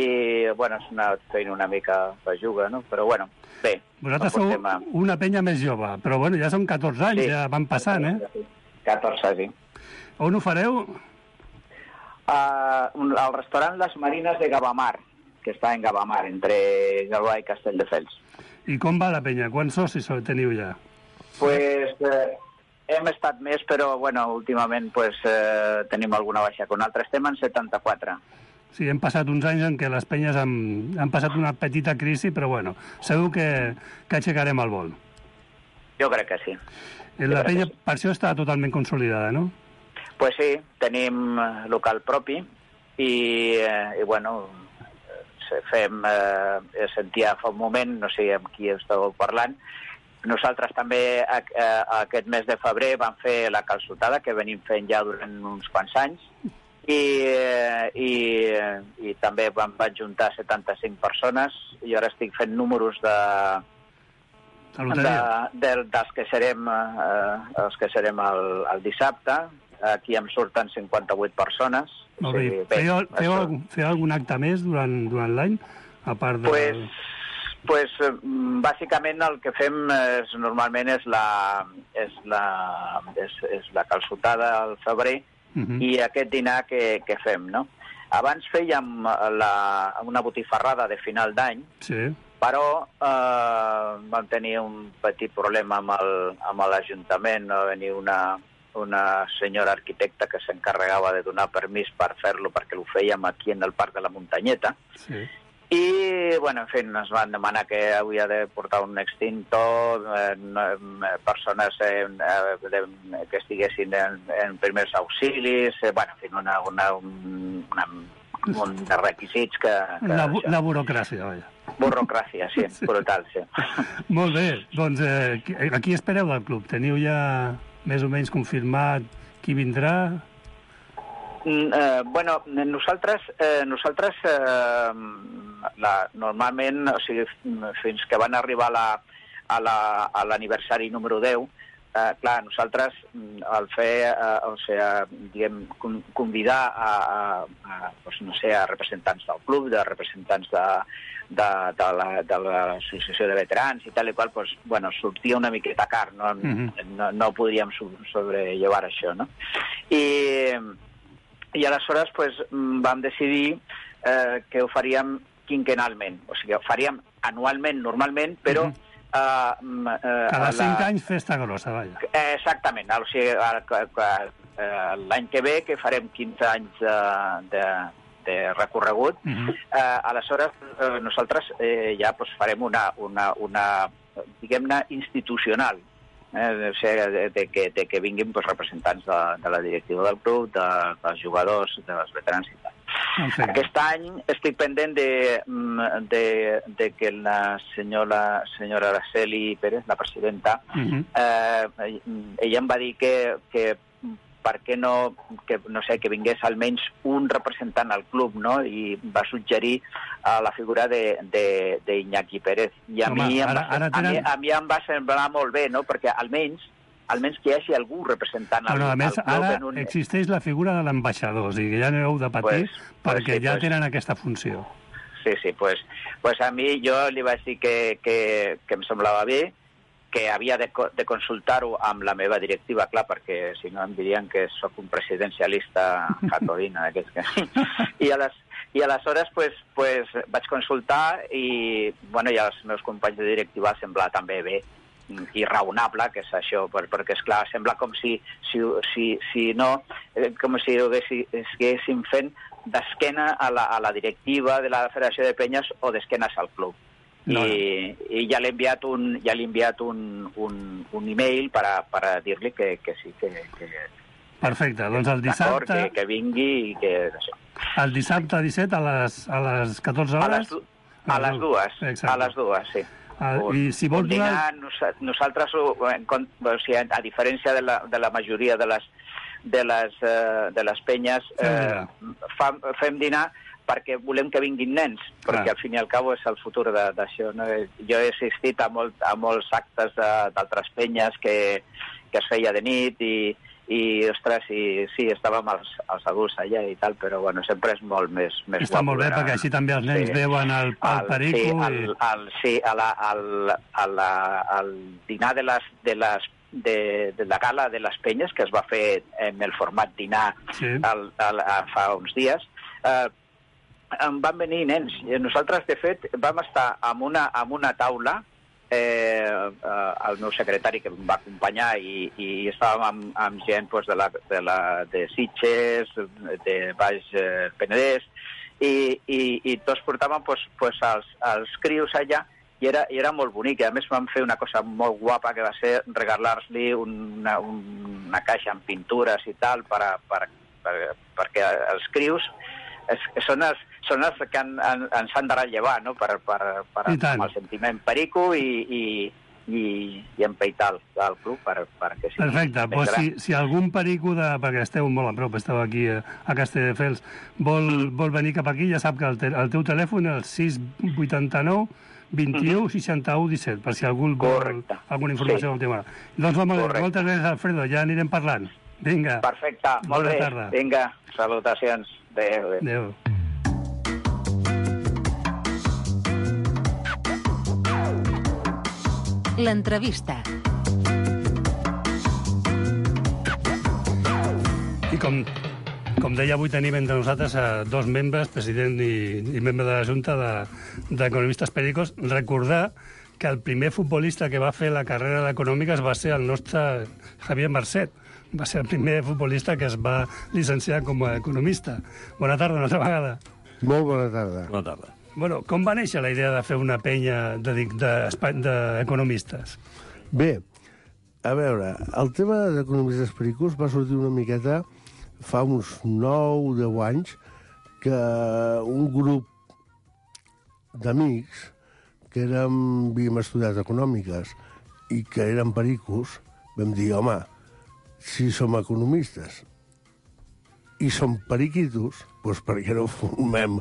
[SPEAKER 13] bueno, és anat fent una mica belluga, no? Però, bueno, bé.
[SPEAKER 6] Vosaltres sou una penya més jove, però, bueno, ja són 14 anys, ja van passant,
[SPEAKER 13] 14, sí.
[SPEAKER 6] On ho fareu?
[SPEAKER 13] Al restaurant Les Marines de Gavamar, que està en Gavamar, entre Gavà i Castelldefels.
[SPEAKER 6] I com va la penya? Quants socis teniu ja?
[SPEAKER 13] Pues hem estat més, però, bueno, últimament pues, tenim alguna baixa con altres. Estem en 74.
[SPEAKER 6] Sí, hem passat uns anys en què les penyes han passat una petita crisi, però, bueno, segur que aixecarem el vol.
[SPEAKER 13] Jo crec que sí.
[SPEAKER 6] La penya, per això està totalment consolidada, no?
[SPEAKER 13] Pues sí, tenim local propi i bueno, sentia fa un moment, no sé amb qui estàveu parlant, nosaltres també aquest mes de febrer vam fer la calçotada, que venim fent ja durant uns quants anys, i també van juntar 75 persones, i ara estic fent números dels que serem el dissabte. Aquí em surten 58 persones.
[SPEAKER 6] Molt bé. Feu algun acte més durant l'any, a part de...
[SPEAKER 13] Pues bàsicament el que fem normalment és la calçotada al febrer i aquest dinar que fem, no? Abans fèiem una botifarrada de final d'any, però vam tenir un petit problema amb l'Ajuntament, va venir una senyora arquitecta que s'encarregava de donar permís per fer-lo perquè ho fèiem aquí en el Parc de la Muntanyeta. I, bueno, en fi, ens van demanar que havia de portar un extintor, persones que estiguessin en primers auxilis, bueno, en fi, un de requisits que...
[SPEAKER 6] La burocràcia, vaja.
[SPEAKER 13] Burocràcia, sí, brutal, sí.
[SPEAKER 6] Molt bé, doncs a qui espereu del club? Teniu ja més o menys confirmat qui vindrà?
[SPEAKER 13] Bueno, nosaltres normalment, o sigui, fins que van arribar a l'aniversari número 10, clar, nosaltres al fer, o sigui, diguem, convidar no sé, a representants del club, de representants de l'associació de veterans i tal i qual, doncs, bueno, sortia una miqueta car, no podríem sobrellevar això, no? I aleshores pues, vam decidir que ho faríem quinquenalment, o sigui, ho faríem anualment, normalment, però...
[SPEAKER 6] Cada 5 anys festa grossa, vaja.
[SPEAKER 13] Exactament, o sigui, l'any que ve, que farem 15 anys de recorregut, aleshores nosaltres ja pues, farem una diguem-ne, institucional, o sigui, de que vinguin pues, representants de la directiva del club, dels jugadors, dels veterans i tal. Aquest any estic pendent de que la senyora Araceli Pérez, la presidenta, ella em va dir que per què no, que vingués almenys un representant al club, no? I va suggerir la figura d'Iñaki Pérez. I a mi em va semblar molt bé, no? Perquè almenys que hi hagi algú representant al club.
[SPEAKER 6] A més, ara existeix la figura de l'ambaixador, o sigui que ja no heu de patir perquè ja tenen aquesta funció.
[SPEAKER 13] Sí, pues a mi jo li vaig dir que em semblava bé, que havia de consultar-ho amb la meva directiva, clar, perquè si no em dirien que sóc un presidencialista jacobina. I aleshores pues, vaig consultar i, bueno, i als meus companys de directiva sembla també bé. i raonable, que és això, perquè, esclar, sembla com si no, com si estiguéssim fent d'esquena a la directiva de la Federació de Penyes o d'esquenes al club. No. I ja l'he enviat un e-mail per dir-li que sí, que
[SPEAKER 6] perfecte, doncs el dissabte...
[SPEAKER 13] Que vingui i que... Això.
[SPEAKER 6] El dissabte 17 a les 14 hores?
[SPEAKER 13] A les dues, sí.
[SPEAKER 6] I si vols
[SPEAKER 13] donar... Nosaltres, a diferència de la majoria de les penyes, fem dinar perquè volem que vinguin nens, perquè al fin i al cabo és el futur d'això. No? Jo he assistit a molts actes d'altres penyes que es feia de nit i ostres, sí, estàvem els adults allà i tal, però bueno, sempre és molt més guapo.
[SPEAKER 6] Està molt bé, perquè així també els nens veuen el perico.
[SPEAKER 13] Sí, al dinar de la gala de les penyes, que es va fer en el format dinar fa uns dies, van venir nens. Nosaltres, de fet, vam estar amb una taula, el meu secretari que em va acompanyar i estàvem amb gent de Sitges, de Baix Penedès, i tots portàvem els crios allà i era molt bonic. A més vam fer una cosa molt guapa que va ser regalar-li una caixa amb pintures i tal perquè els crios són els que ens han de rellevar, no? per amb el sentiment perico i empeitar el club perquè sí.
[SPEAKER 6] Perfecte, doncs si algun perico, perquè esteu molt a prop, esteu aquí a Castelldefels, vol venir cap aquí, ja sap que el teu telèfon és el 689 21 61 17, per si algú vol alguna informació del tema. Doncs moltes gràcies, Alfredo, ja anirem parlant. Vinga.
[SPEAKER 13] Perfecte, molt bé. Vinga, salutacions.
[SPEAKER 6] Adéu.
[SPEAKER 4] L'entrevista.
[SPEAKER 6] I com deia, avui tenim entre nosaltres dos membres, president i membre de la Junta d'Economistes Pericos. Recordar que el primer futbolista que va fer la carrera d'Econòmiques va ser el nostre Javier Marcet. Va ser el primer futbolista que es va llicenciar com a economista. Bona tarda, una altra vegada.
[SPEAKER 7] Molt bona tarda.
[SPEAKER 2] Bona tarda.
[SPEAKER 6] Bueno, com va néixer la idea de fer una penya d'economistes?
[SPEAKER 7] Bé, a veure, el tema d'Economistes Pericos va sortir una miqueta fa uns 9 o 10 anys que un grup d'amics que havíem estudiat econòmiques i que eren pericos, vam dir, home, si som economistes i som periquitos, doncs per què no formem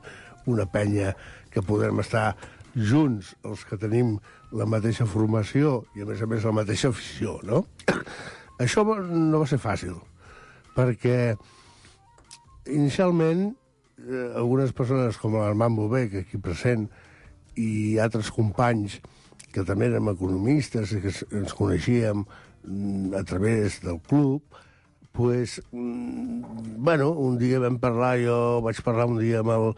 [SPEAKER 7] una penya que podrem estar junts, els que tenim la mateixa formació i, a més, la mateixa afició, no? Això no va ser fàcil, perquè inicialment algunes persones com l'Armand Bové, que aquí present, i altres companys que també érem economistes i que ens coneixíem a través del club, pues, bueno, un dia vam parlar, jo vaig parlar un dia amb el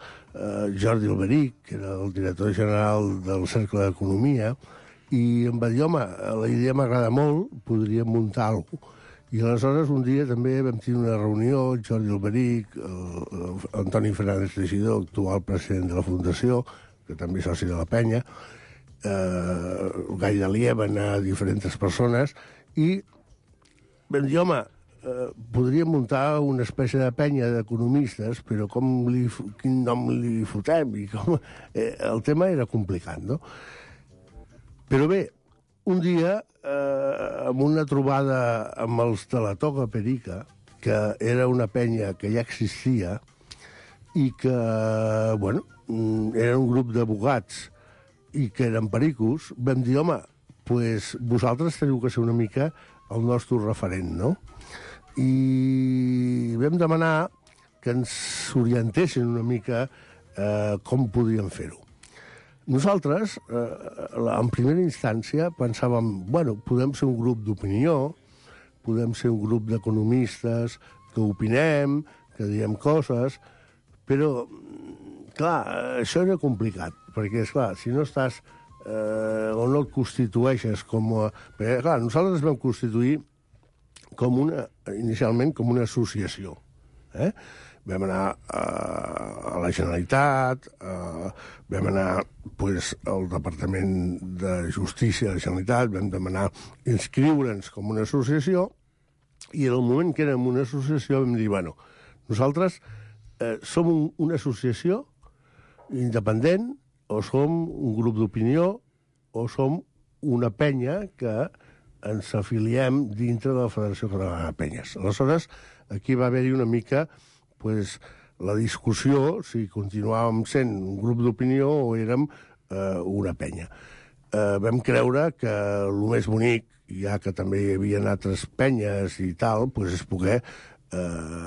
[SPEAKER 7] Jordi Alberic, que era el director general del Cercle d'Economia, i em va dir, home, la idea m'agrada molt, podríem muntar alguna cosa. I aleshores un dia també vam tenir una reunió, Jordi Alberic, Antoni Fernández Teixidor, actual president de la Fundació, que també és soci de la penya, Gai Dalier, van anar diferents persones, i vam dir, home, podríem muntar una espècie de penya d'economistes, però quin nom li fotem? I com... el tema era complicat, no? Però bé, un dia, amb una trobada amb els de la Toga Perica, que era una penya que ja existia, i que, bueno, era un grup d'abogats i que eren pericos, vam dir, home, pues vosaltres teniu que ser una mica el nostre referent, no? I vam demanar que ens orientessin una mica com podíem fer-ho. Nosaltres, en primera instància, pensàvem, bueno, podem ser un grup d'opinió, podem ser un grup d'economistes que opinem, que diem coses, però, clar, això era complicat, perquè, esclar, si no estàs o no et constitueixes com a... Perquè, clar, nosaltres vam constituir inicialment com una associació. Vam anar a la Generalitat, vam anar al Departament de Justícia de la Generalitat, vam demanar inscriure'ns com una associació, i en el moment que érem una associació vam dir, bueno, nosaltres som una associació independent, o som un grup d'opinió, o som una penya que ens afiliem dintre de la Federació Catalana de Penyes. Aleshores, aquí va haver-hi una mica la discussió si continuàvem sent un grup d'opinió o érem una penya. Vam creure que el més bonic, ja que també hi havia altres penyes i tal, és poder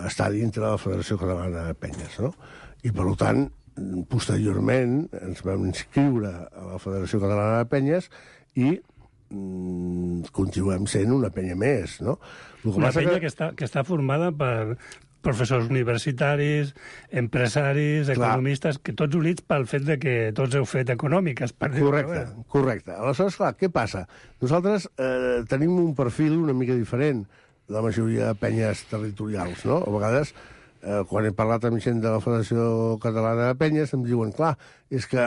[SPEAKER 7] estar dintre de la Federació Catalana de Penyes, no? I, per tant, posteriorment ens vam inscriure a la Federació Catalana de Penyes i continuem sent una penya més, no?
[SPEAKER 6] Una penya que està formada per professors universitaris, empresaris, economistes, que tots units pel fet de que tots heu fet econòmiques.
[SPEAKER 7] Correcte. Aleshores, clar, què passa? Nosaltres tenim un perfil una mica diferent de la majoria de penyes territorials, no? A vegades, quan he parlat amb gent de la Federació Catalana de Penyes, em diuen, clar, és que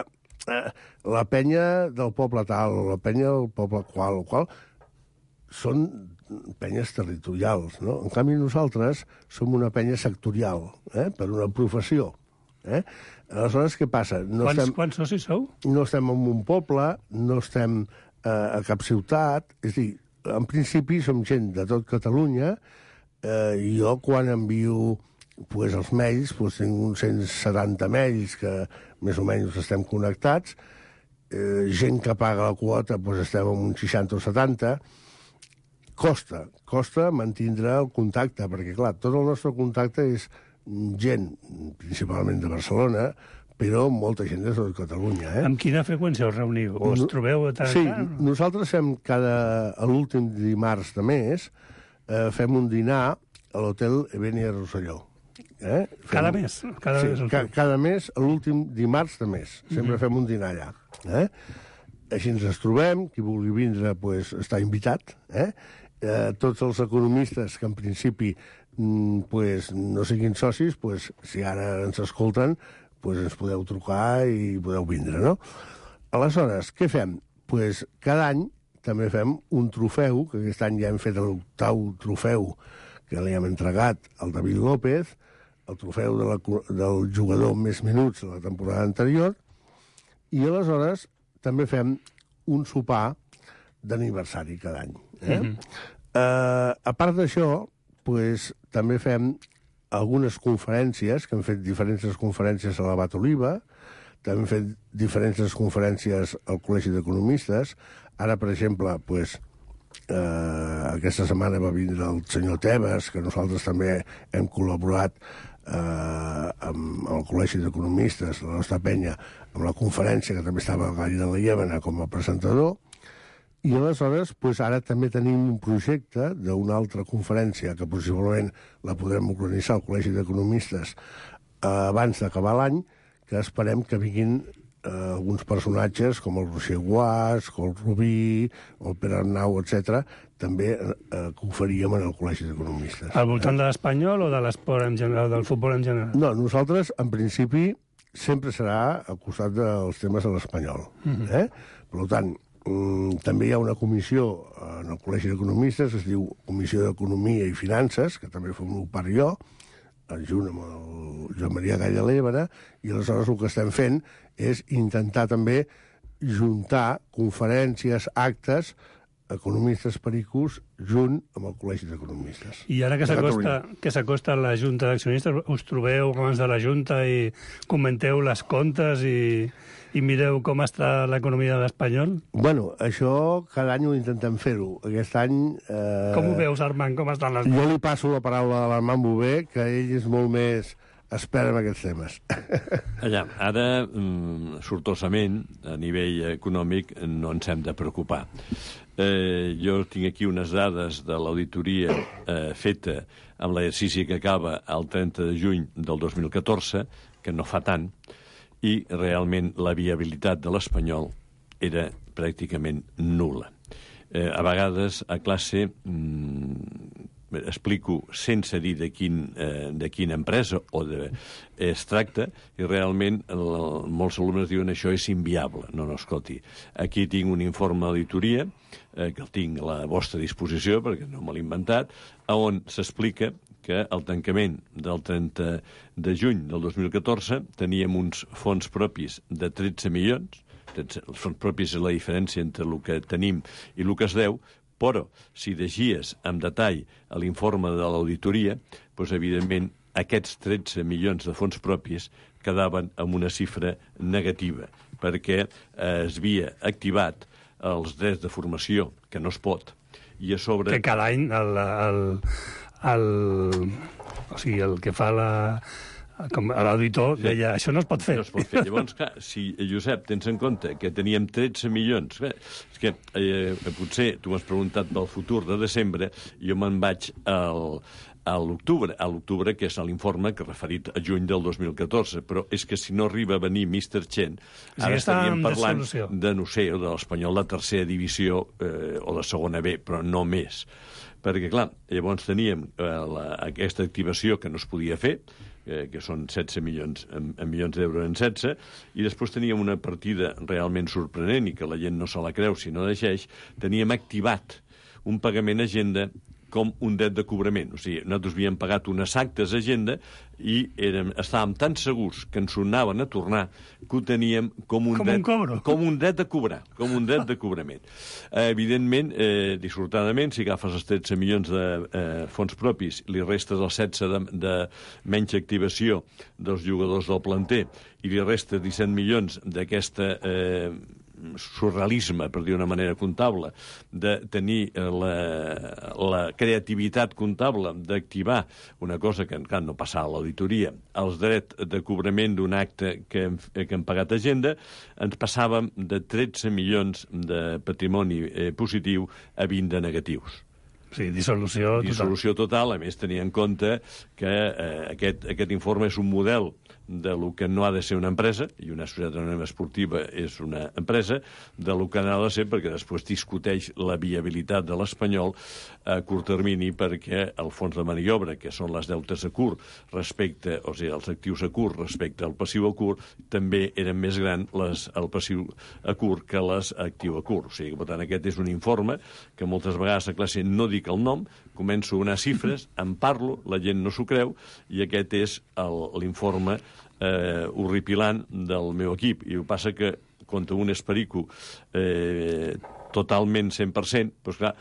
[SPEAKER 7] la penya del poble tal, o la penya del poble qual, són penyes territorials, no? En canvi, nosaltres som una penya sectorial, per una professió. Aleshores, què passa?
[SPEAKER 6] Quants socis sou?
[SPEAKER 7] No estem en un poble, no estem a cap ciutat, és a dir, en principi som gent de tot Catalunya, i jo quan envio els mails, tinc uns 170 mails que més o menys estem connectats, gent que paga la quota estem en uns 60 o 70, costa mantindre el contacte, perquè, clar, tot el nostre contacte és gent, principalment de Barcelona, però molta gent de tot Catalunya.
[SPEAKER 6] Amb quina freqüència us reuniu? O us trobeu tant?
[SPEAKER 7] Sí, nosaltres fem l'últim dimarts de mes, fem un dinar a l'hotel Ebenia Rosselló.
[SPEAKER 6] Cada mes?
[SPEAKER 7] Cada mes, l'últim dimarts de mes. Sempre fem un dinar allà. Així ens trobem, qui vulgui vindre està invitat. Tots els economistes que en principi no siguin socis, si ara ens escolten, ens podeu trucar i podeu vindre, no? Aleshores, què fem? Cada any també fem un trofeu, que aquest any ja hem fet l'8º trofeu que li hem entregat al David López, el trofeu del jugador amb més minuts de la temporada anterior, i aleshores també fem un sopar d'aniversari cada any. A part d'això, també fem algunes conferències, que hem fet diferents conferències a l'Abat Oliva, també hem fet diferents conferències al Col·legi d'Economistes. Ara, per exemple, aquesta setmana va vindre el senyor Tebas, que nosaltres també hem col·laborat amb el Col·legi d'Economistes, la nostra penya, amb la conferència, que també estava a Gall de la Llémena com a presentador. I aleshores, ara també tenim un projecte d'una altra conferència que possiblement la podrem organitzar al Col·legi d'Economistes abans d'acabar l'any, que esperem que vinguin alguns personatges com el Roger Guas, el Rubí, el Pere Arnau, etc., també que ho faríem en el Col·legi d'Economistes.
[SPEAKER 6] Al voltant de l'espanyol o de l'esport en general, del futbol en general?
[SPEAKER 7] No, nosaltres, en principi, sempre serà al costat dels temes de l'espanyol. Per tant, també hi ha una comissió en el Col·legi d'Economistes, es diu Comissió d'Economia i Finances, que també formo part jo, junt amb el Joan Maria Gall de l'Évera, i aleshores el que estem fent és intentar també juntar conferències, actes, economistes pericos, junt amb el Col·legi d'Economistes.
[SPEAKER 6] I ara que s'acosta la Junta d'Accionistes, us trobeu abans de la Junta i comenteu les comptes i mireu com està l'economia de l'espanyol?
[SPEAKER 7] Bueno, això cada any ho intentem fer-ho. Aquest any...
[SPEAKER 6] Com ho veus, Armand? Com estan les...
[SPEAKER 7] Jo li passo la paraula a l'Armand Bové, que ell és molt més expert en aquests temes.
[SPEAKER 14] Ara, sortosament, a nivell econòmic, no ens hem de preocupar. Jo tinc aquí unes dades de l'auditoria feta amb l'exercici que acaba el 30 de juny del 2014, que no fa tant, i realment la viabilitat de l'espanyol era pràcticament nul·la. A vegades a classe explico sense dir de quina empresa o es tracta i realment molts alumnes diuen això és inviable. No, escolti, aquí tinc un informe d'auditoria que el tinc a la vostra disposició perquè no me l'he inventat, on s'explica que al tancament del 30 de juny del 2014 teníem uns fons propis de 13 milions. Els fons propis és la diferència entre el que tenim i el que es deu, però si llegies amb detall l'informe de l'auditoria, doncs, evidentment, aquests 13 milions de fons propis quedaven amb una xifra negativa, perquè es havia activat els drets de formació, que no es pot, i a sobre...
[SPEAKER 6] Que cada any el que fa l'auditor deia, això no es pot fer.
[SPEAKER 14] No es pot fer. Llavors, clar, si, Josep, tens en compte que teníem 13 milions... És que potser tu m'has preguntat pel futur de desembre, jo me'n vaig a l'octubre, que és l'informe que referit a juny del 2014, però és que si no arriba a venir Mr. Chen, ara estaríem parlant de, no sé, de l'Espanyol de tercera divisió o de segona B, però no més. Perquè, clar, llavors teníem aquesta activació que no es podia fer, que són 16 milions d'euros en 16, i després teníem una partida realment sorprenent i que la gent no se la creu si no deixeix, teníem activat un pagament a agenda com un dret de cobrament. O sigui, nosaltres havíem pagat unes actes a agenda i estàvem tan segurs que ens sonaven a tornar que ho teníem com un dret de cobrar, com un dret de cobrament. Evidentment, dissortadament, si agafes els 13 milions de fons propis, li restes els 16 de menys activació dels jugadors del planter i li restes 17 milions d'aquesta surrealisme, per dir d'una manera comptable, de tenir la creativitat comptable d'activar una cosa que encara no passava a l'auditoria, els drets de cobrament d'un acte que hem pagat a agenda, ens passàvem de 13 milions de patrimoni positiu a 20 de negatius.
[SPEAKER 6] Sí, dissolució total.
[SPEAKER 14] Dissolució total, a més, tenir en compte que aquest informe és un model de lo que no ha de ser una empresa, i una societat anònima esportiva és una empresa, de lo que no ha de ser, perquè després discuteix la viabilitat de l'Espanyol a curt termini, perquè el fons de maniobra, que són les deutes a curt respecte, o sigui, els actius a curt respecte al passiu a curt, també eren més grans el passiu a curt que les actiu a curt. O sigui, per tant, aquest és un informe que moltes vegades a classe no dic el nom, començo a donar xifres, en parlo, la gent no s'ho creu, i aquest és l'informe horripilant del meu equip. I el que passa que, contra un esperico totalment 100%, doncs clar,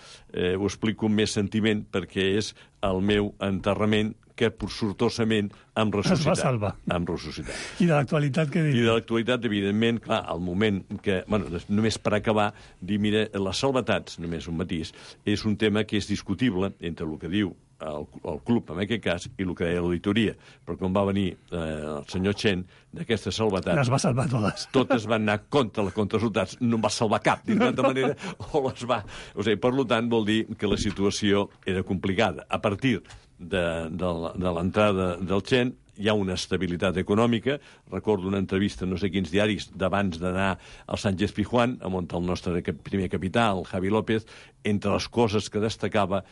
[SPEAKER 14] ho explico amb més sentiment perquè és el meu enterrament que sortosament hem ressuscitat.
[SPEAKER 6] Es va salvar.
[SPEAKER 14] Hem ressuscitat.
[SPEAKER 6] I de l'actualitat què dius?
[SPEAKER 14] I de l'actualitat, evidentment, clar, al moment que... Bueno, només per acabar, dir, mira, les salvetats, només un matís, és un tema que és discutible entre el que diu el club, en aquest cas, i el que deia l'auditoria. Però quan va venir el senyor Chen, d'aquestes salvetats...
[SPEAKER 6] Les va salvar totes.
[SPEAKER 14] Totes van anar contra els resultats. No en va salvar cap, d'altra manera, o les va... O sigui, per tant, vol dir que la situació era complicada. A partir de l'entrada del Chen hi ha una estabilitat econòmica. Recordo una entrevista, no sé quins diaris, d'abans d'anar al Sánchez Pizjuán, on el nostre primer capità, el Javi López, entre les coses que destacava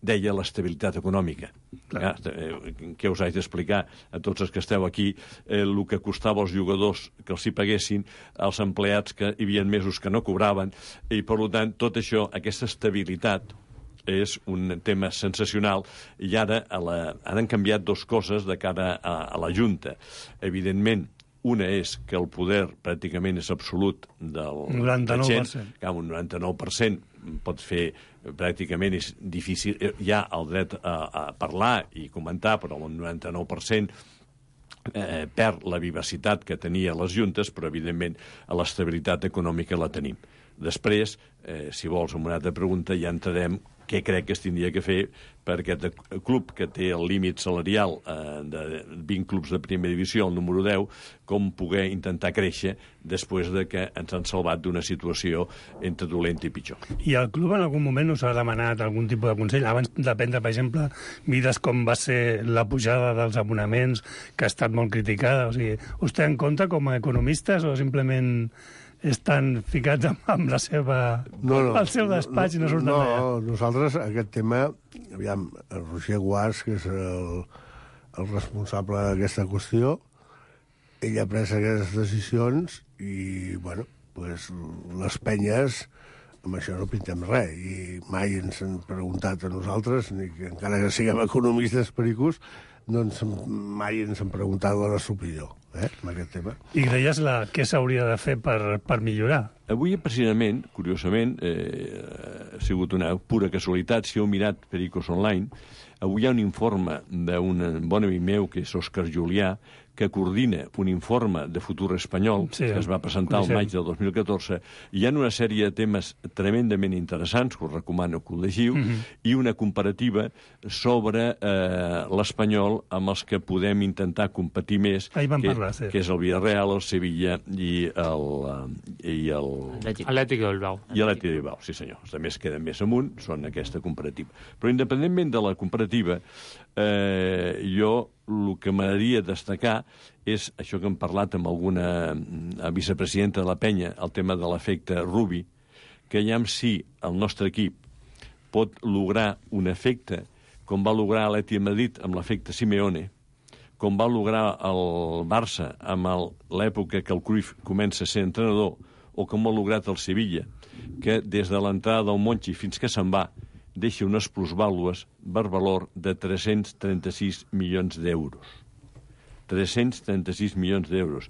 [SPEAKER 14] deia l'estabilitat econòmica. Què us haig d'explicar a tots els que esteu aquí el que costava als jugadors que els hi paguessin, als empleats que hi havia mesos que no cobraven, i per tant tot això, aquesta estabilitat és un tema sensacional, i ara han canviat dues coses de cara a la Junta. Evidentment, una és que el poder pràcticament és absolut del
[SPEAKER 6] 99%.
[SPEAKER 14] Un 99% pot fer, pràcticament és difícil, hi ha el dret a parlar i comentar, però el 99% perd la vivacitat que tenia les juntes, però evidentment l'estabilitat econòmica la tenim. Després, si vols, amb una altra pregunta, ja entrarem què crec que es tindria que fer per aquest club que té el límit salarial de 20 clubs de primera divisió, el número 10, com poder intentar créixer després de que ens han salvat d'una situació entre dolenta i pitjor.
[SPEAKER 6] I el club en algun moment us ha demanat algun tipus de consell? Abans de prendre, per exemple, mides com va ser la pujada dels abonaments, que ha estat molt criticada. O sigui, us té en compte com a economistes o simplement estan ficats amb la seva... el seu despatx i no surten d'allà.
[SPEAKER 7] No, nosaltres aquest tema... Aviam, el Roger Guas, que és el responsable d'aquesta qüestió, ell ha pres aquestes decisions i, bueno, pues, les penyes, amb això no pintem res, i mai ens han preguntat a nosaltres, ni que encara que siguem economistes pericos, doncs mai ens han preguntat la nostra opinió, en aquest tema.
[SPEAKER 6] I creies què s'hauria de fer per millorar?
[SPEAKER 14] Avui, precisament, curiosament, ha sigut una pura casualitat, si heu mirat Pericos Online, avui hi ha un informe d'un bon amic meu, que és Òscar Julià, que coordina un informe de Futur Espanyol, que es va presentar al maig del 2014, i hi ha una sèrie de temes tremendament interessants, que us recomano que ho llegiu, i una comparativa sobre l'Espanyol amb els que podem intentar competir més, que és el Villarreal, el Sevilla i el
[SPEAKER 8] Atlètic de Bilbao.
[SPEAKER 14] I l'Atlètic de Bilbao, sí senyor. Els altres queden més amunt, són aquesta comparativa. Però independentment de la comparativa, jo el que m'agradaria destacar és això que hem parlat amb alguna vicepresidenta de la penya, el tema de l'efecte Rubi, que ja en si el nostre equip pot lograr un efecte com va lograr l'Atlètic de Madrid amb l'efecte Simeone, com va lograr el Barça amb l'època que el Cruyff comença a ser entrenador, o com ha lograt el Sevilla, que des de l'entrada del Monchi fins que se'n va, deixa unes plusvàlues per valor de 336 milions d'euros. 336 milions d'euros.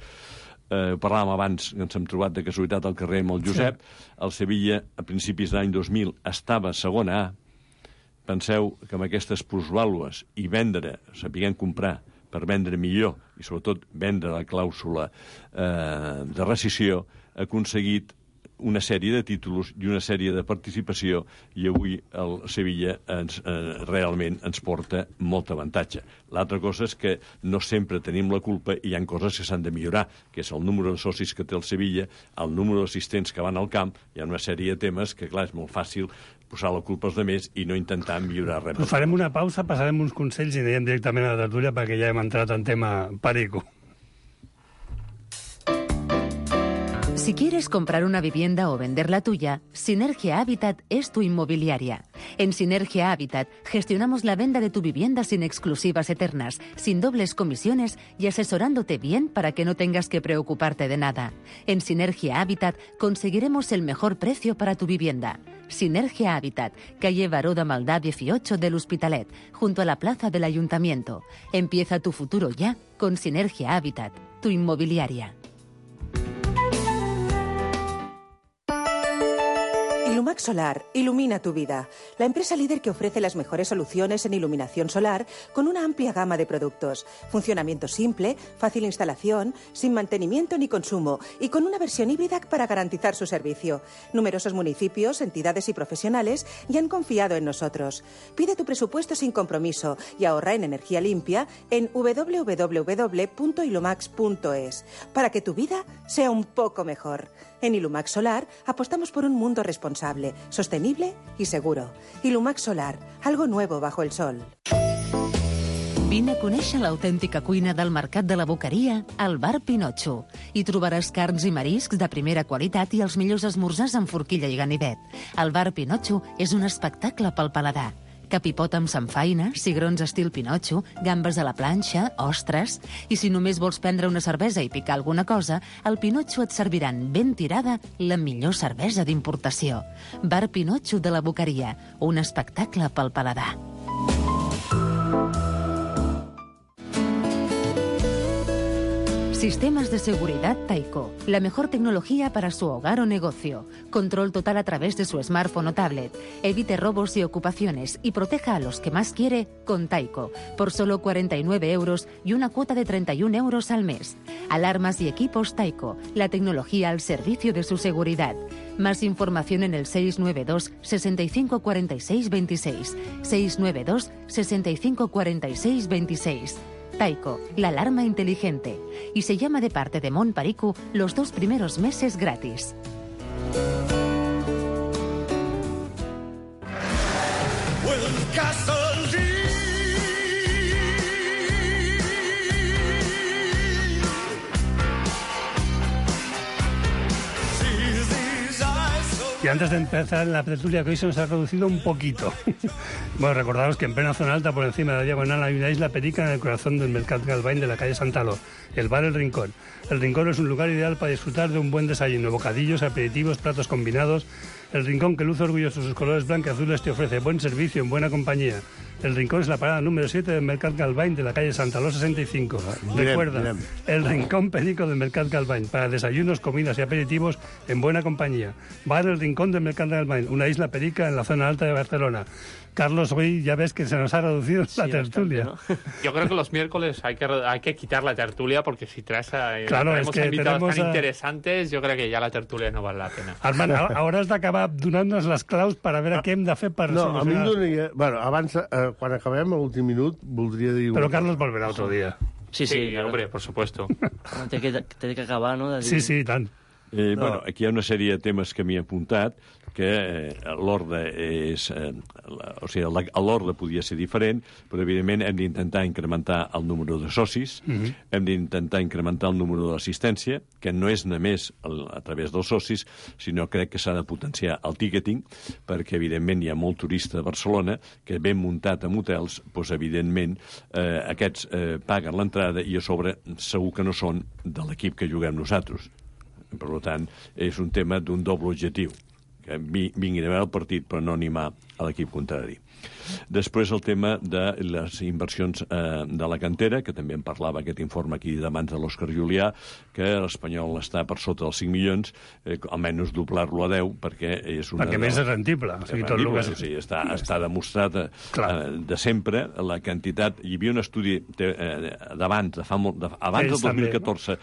[SPEAKER 14] Parlàvem abans, ens hem trobat de casualitat al carrer amb el Josep. El Sevilla, a principis de l'any 2000, estava a segona A. Penseu que amb aquestes plusvàlues i vendre, sapiguem comprar, per vendre millor, i sobretot vendre la clàusula de rescissió, ha aconseguit una sèrie de títols i una sèrie de participació, i avui el Sevilla realment ens porta molt avantatge. L'altra cosa és que no sempre tenim la culpa i hi ha coses que s'han de millorar, que és el número de socis que té el Sevilla, el número d'assistents que van al camp, hi ha una sèrie de temes que, clar, és molt fàcil posar la culpa als altres i no intentar millorar res.
[SPEAKER 6] Però farem una pausa, passarem uns consells i anirem directament a la tertúlia perquè ja hem entrat en tema perico.
[SPEAKER 4] Si quieres comprar una vivienda o vender la tuya, Sinergia Habitat es tu inmobiliaria. En Sinergia Habitat gestionamos la venta de tu vivienda sin exclusivas eternas, sin dobles comisiones y asesorándote bien para que no tengas que preocuparte de nada. En Sinergia Habitat conseguiremos el mejor precio para tu vivienda. Sinergia Habitat, calle Baró de Maldà 18 del Hospitalet, junto a la plaza del Ayuntamiento. Empieza tu futuro ya con Sinergia Habitat, tu inmobiliaria.
[SPEAKER 10] Ilumax Solar ilumina tu vida. La empresa líder que ofrece las mejores soluciones en iluminación solar con una amplia gama de productos. Funcionamiento simple, fácil instalación, sin mantenimiento ni consumo y con una versión híbrida para garantizar su servicio. Numerosos municipios, entidades y profesionales ya han confiado en nosotros. Pide tu presupuesto sin compromiso y ahorra en energía limpia en www.ilumax.es para que tu vida sea un poco mejor. En Ilumax Solar apostamos por un mundo responsable, sostenible y seguro. Ilumax Solar, algo nuevo bajo el sol.
[SPEAKER 4] Vine a conèixer l'autèntica cuina del Mercat de la Boqueria al Bar Pinotxo. Hi trobaràs carns i mariscs de primera qualitat i els millors esmorzars amb forquilla i ganivet. El Bar Pinotxo és un espectacle pel paladar. Capipot amb samfaina, cigrons estil Pinotxo, gambes a la planxa, ostres... I si només vols prendre una cervesa i picar alguna cosa, al Pinotxo et serviran ben tirada la millor cervesa d'importació. Bar Pinotxo de la Boqueria, un espectacle pel paladar. Sistemas de seguridad Taiko, la mejor tecnología para su hogar o negocio. Control total a través de su smartphone o tablet. Evite robos y ocupaciones y proteja a los que más quiere con Taiko, por solo 49 euros y una cuota de 31 euros al mes. Alarmas y equipos Taiko, la tecnología al servicio de su seguridad. Más información en el 692 65 46 26. 692 65 46 26. Taiko, la alarma inteligente. Y se llama de parte de Mon Paricu los 2 primeros meses gratis.
[SPEAKER 6] Y antes de empezar la tertulia, que hoy se nos ha reducido un poquito. Bueno, recordaros que en plena zona alta, por encima de la diagonal, hay una isla perica en el corazón del Mercat Galvany de la calle Santaló, el bar El Rincón. El Rincón es un lugar ideal para disfrutar de un buen desayuno, bocadillos, aperitivos, platos combinados. El Rincón, que luce orgulloso de sus colores blanqueazules, te ofrece buen servicio en buena compañía. El Rincón es la parada número 7 del Mercat Galvany de la calle Santaló 65. Recuerda, el Rincón Perico del Mercat Galvany, para desayunos, comidas y aperitivos en buena compañía. Va en el Rincón del Mercat Galvany, una isla perica en la zona alta de Barcelona. Carlos, hoy ya ves que se nos ha reducido la tertulia.
[SPEAKER 8] Bastante, ¿no? Yo creo que los miércoles hay que quitar la tertulia, porque si traemos invitados tan interesantes, yo creo que ya la tertulia no vale la pena.
[SPEAKER 6] Armand, ahora has d'acabar donant-nos les claus per a veure què hem de fer per
[SPEAKER 7] solucionar. No, a mi em donaria... Bueno, abans, quan acabem l'últim minut, voldria dir...
[SPEAKER 6] Però Carlos volverà otro dia.
[SPEAKER 8] Sí, claro. Hombre, por supuesto.
[SPEAKER 15] Té que acabar, no?
[SPEAKER 6] Sí, tant.
[SPEAKER 14] Bueno, aquí hi ha una sèrie de temes que m'hi he apuntat, que l'ordre és... O sigui, l'ordre podia ser diferent, però evidentment hem d'intentar incrementar el número de socis, hem d'intentar incrementar el número de l'assistència, que no és només a través dels socis, sinó crec que s'ha de potenciar el ticketing, perquè evidentment hi ha molt turista a Barcelona que ben muntat en hotels, doncs evidentment aquests paguen l'entrada i a sobre segur que no són de l'equip que juguem nosaltres. Per tant, és un tema d'un doble objectiu, que vinguin a veure el partit però no animar a l'equip contrari. Després el tema de les inversions de la cantera, que també en parlava aquest informe aquí de mans de l'Òscar Julià, que l'Espanyol està per sota dels 5 milions, almenys doblar-lo a 10, perquè és una...
[SPEAKER 6] Perquè més és rendible.
[SPEAKER 14] Sí, està demostrat de sempre la quantitat... Hi havia un estudi d'abans, abans del 2014,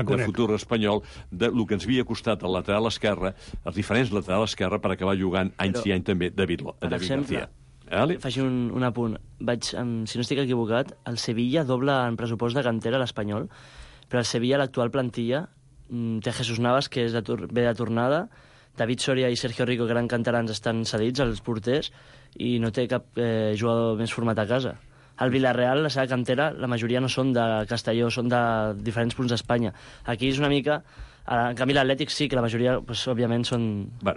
[SPEAKER 14] de Futur Espanyol, del que ens havia costat el lateral esquerre, els diferents laterals esquerre, per acabar jugant anys i anys també David García.
[SPEAKER 15] Faig un apunt. Si no estic equivocat, el Sevilla dobla en pressupost de cantera l'Espanyol, però el Sevilla, l'actual plantilla, té Jesús Navas, que ve de tornada, David Soria i Sergio Rico, que eren canterans, estan cedits, els porters, i no té cap jugador més format a casa. Al Villarreal, la seva cantera, la majoria no són de Castelló, són de diferents punts d'Espanya. Aquí és una mica... En canvi, l'Atlètic sí, que la majoria, òbviament, són...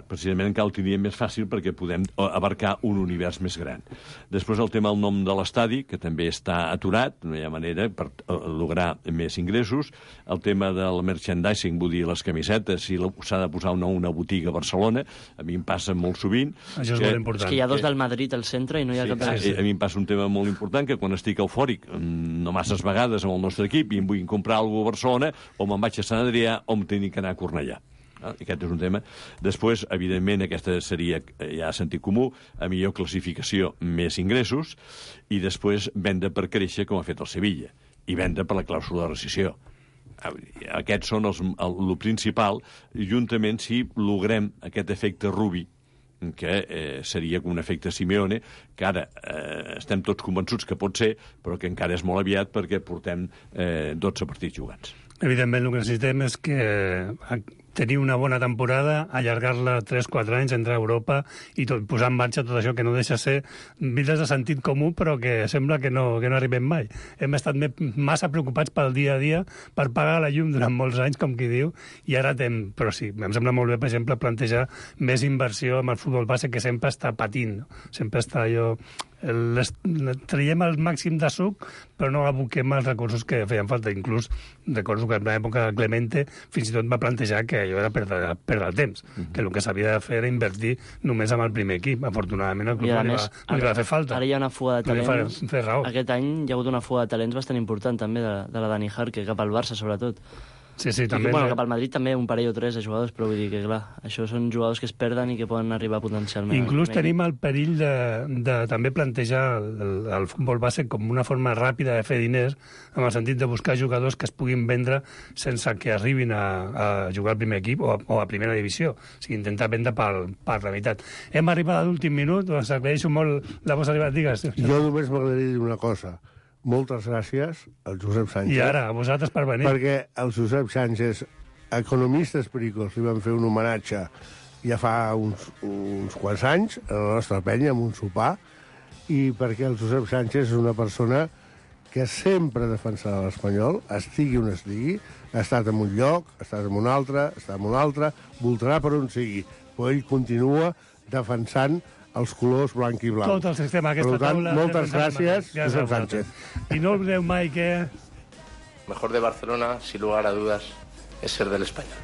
[SPEAKER 14] Precisament encara ho tindríem més fàcil perquè podem abarcar un univers més gran. Després el tema del nom de l'estadi, que també està aturat, no hi ha manera per lograr més ingressos. El tema del merchandising, vull dir, les camisetes, si s'ha de posar una botiga a Barcelona, a mi em passa molt sovint...
[SPEAKER 6] Això és molt important.
[SPEAKER 15] És que hi ha dos del Madrid al centre i no hi ha cap...
[SPEAKER 14] A mi em passa un tema molt important, que quan estic eufòric, no masses vegades amb el nostre equip, i em vull comprar alguna cosa a Barcelona, o me'n vaig a Sant Adrià, o em tinc que anar a Cornellà. Aquest és un tema. Després, evidentment, aquesta seria ja sentit comú, a millor classificació, més ingressos, i després venda per créixer, com ha fet el Sevilla, i venda per la clàusula de rescissió. Aquests són el principal, juntament si logrem aquest efecte Rubi, que seria com un efecte Simeone, que ara estem tots convençuts que pot ser, però que encara és molt aviat perquè portem 12 partits jugats.
[SPEAKER 6] Evidentment, el que necessitem és que tenir una bona temporada, allargar-la 3-4 anys, entrar a Europa i posar en marxa tot això que no deixa ser vides de sentit comú, però que sembla que no arribem mai. Hem estat massa preocupats pel dia a dia, per pagar la llum durant molts anys, com qui diu, i ara però sí, em sembla molt bé, per exemple, plantejar més inversió amb el futbol base, que sempre està patint, no? Sempre està allò... traiem el màxim de suc, però no aboquem els recursos que feien falta. Inclús recordo que en l'època de Clemente fins i tot va plantejar que allò era perdre el temps, que el que s'havia de fer era invertir només amb el primer equip. Afortunadament el club no li va fer falta.
[SPEAKER 15] Ara hi ha una fuga de talents. Aquest any hi ha hagut una fuga de talents bastant important també de la Dani Jarque cap al Barça, sobretot.
[SPEAKER 6] Sí, també.
[SPEAKER 15] Bueno, cap al Madrid també un parell o tres de jugadors, però vull dir que, clar, això són jugadors que es perden i que poden arribar potencialment.
[SPEAKER 6] Inclús tenim el perill de també plantejar el futbol base com una forma ràpida de fer diners, en el sentit de buscar jugadors que es puguin vendre sense que arribin a jugar al primer equip o a primera divisió. O sigui, intentar vendre per la meitat. Hem arribat a l'últim minut, us agraeixo molt la vostra arribada. Digues.
[SPEAKER 7] Jo només m'agradaria dir una cosa. Moltes gràcies al Josep Sánchez.
[SPEAKER 6] I ara, a vosaltres per venir.
[SPEAKER 7] Perquè el Josep Sánchez, economistes pericos, li van fer un homenatge ja fa uns quants anys a la nostra penya, amb un sopar, i perquè el Josep Sánchez és una persona que sempre defensarà l'Espanyol, estigui on estigui, ha estat en un lloc, ha estat en un altre, està en un altre, voltarà per on sigui, però ell continua defensant els colors blanc i blanc.
[SPEAKER 6] Tot el sistema, aquesta
[SPEAKER 7] taula. Per tant, moltes gràcies, Josep Sánchez.
[SPEAKER 6] I no oblideu mai que...
[SPEAKER 16] Mejor de Barcelona, sin lugar a dudas, es ser del Español.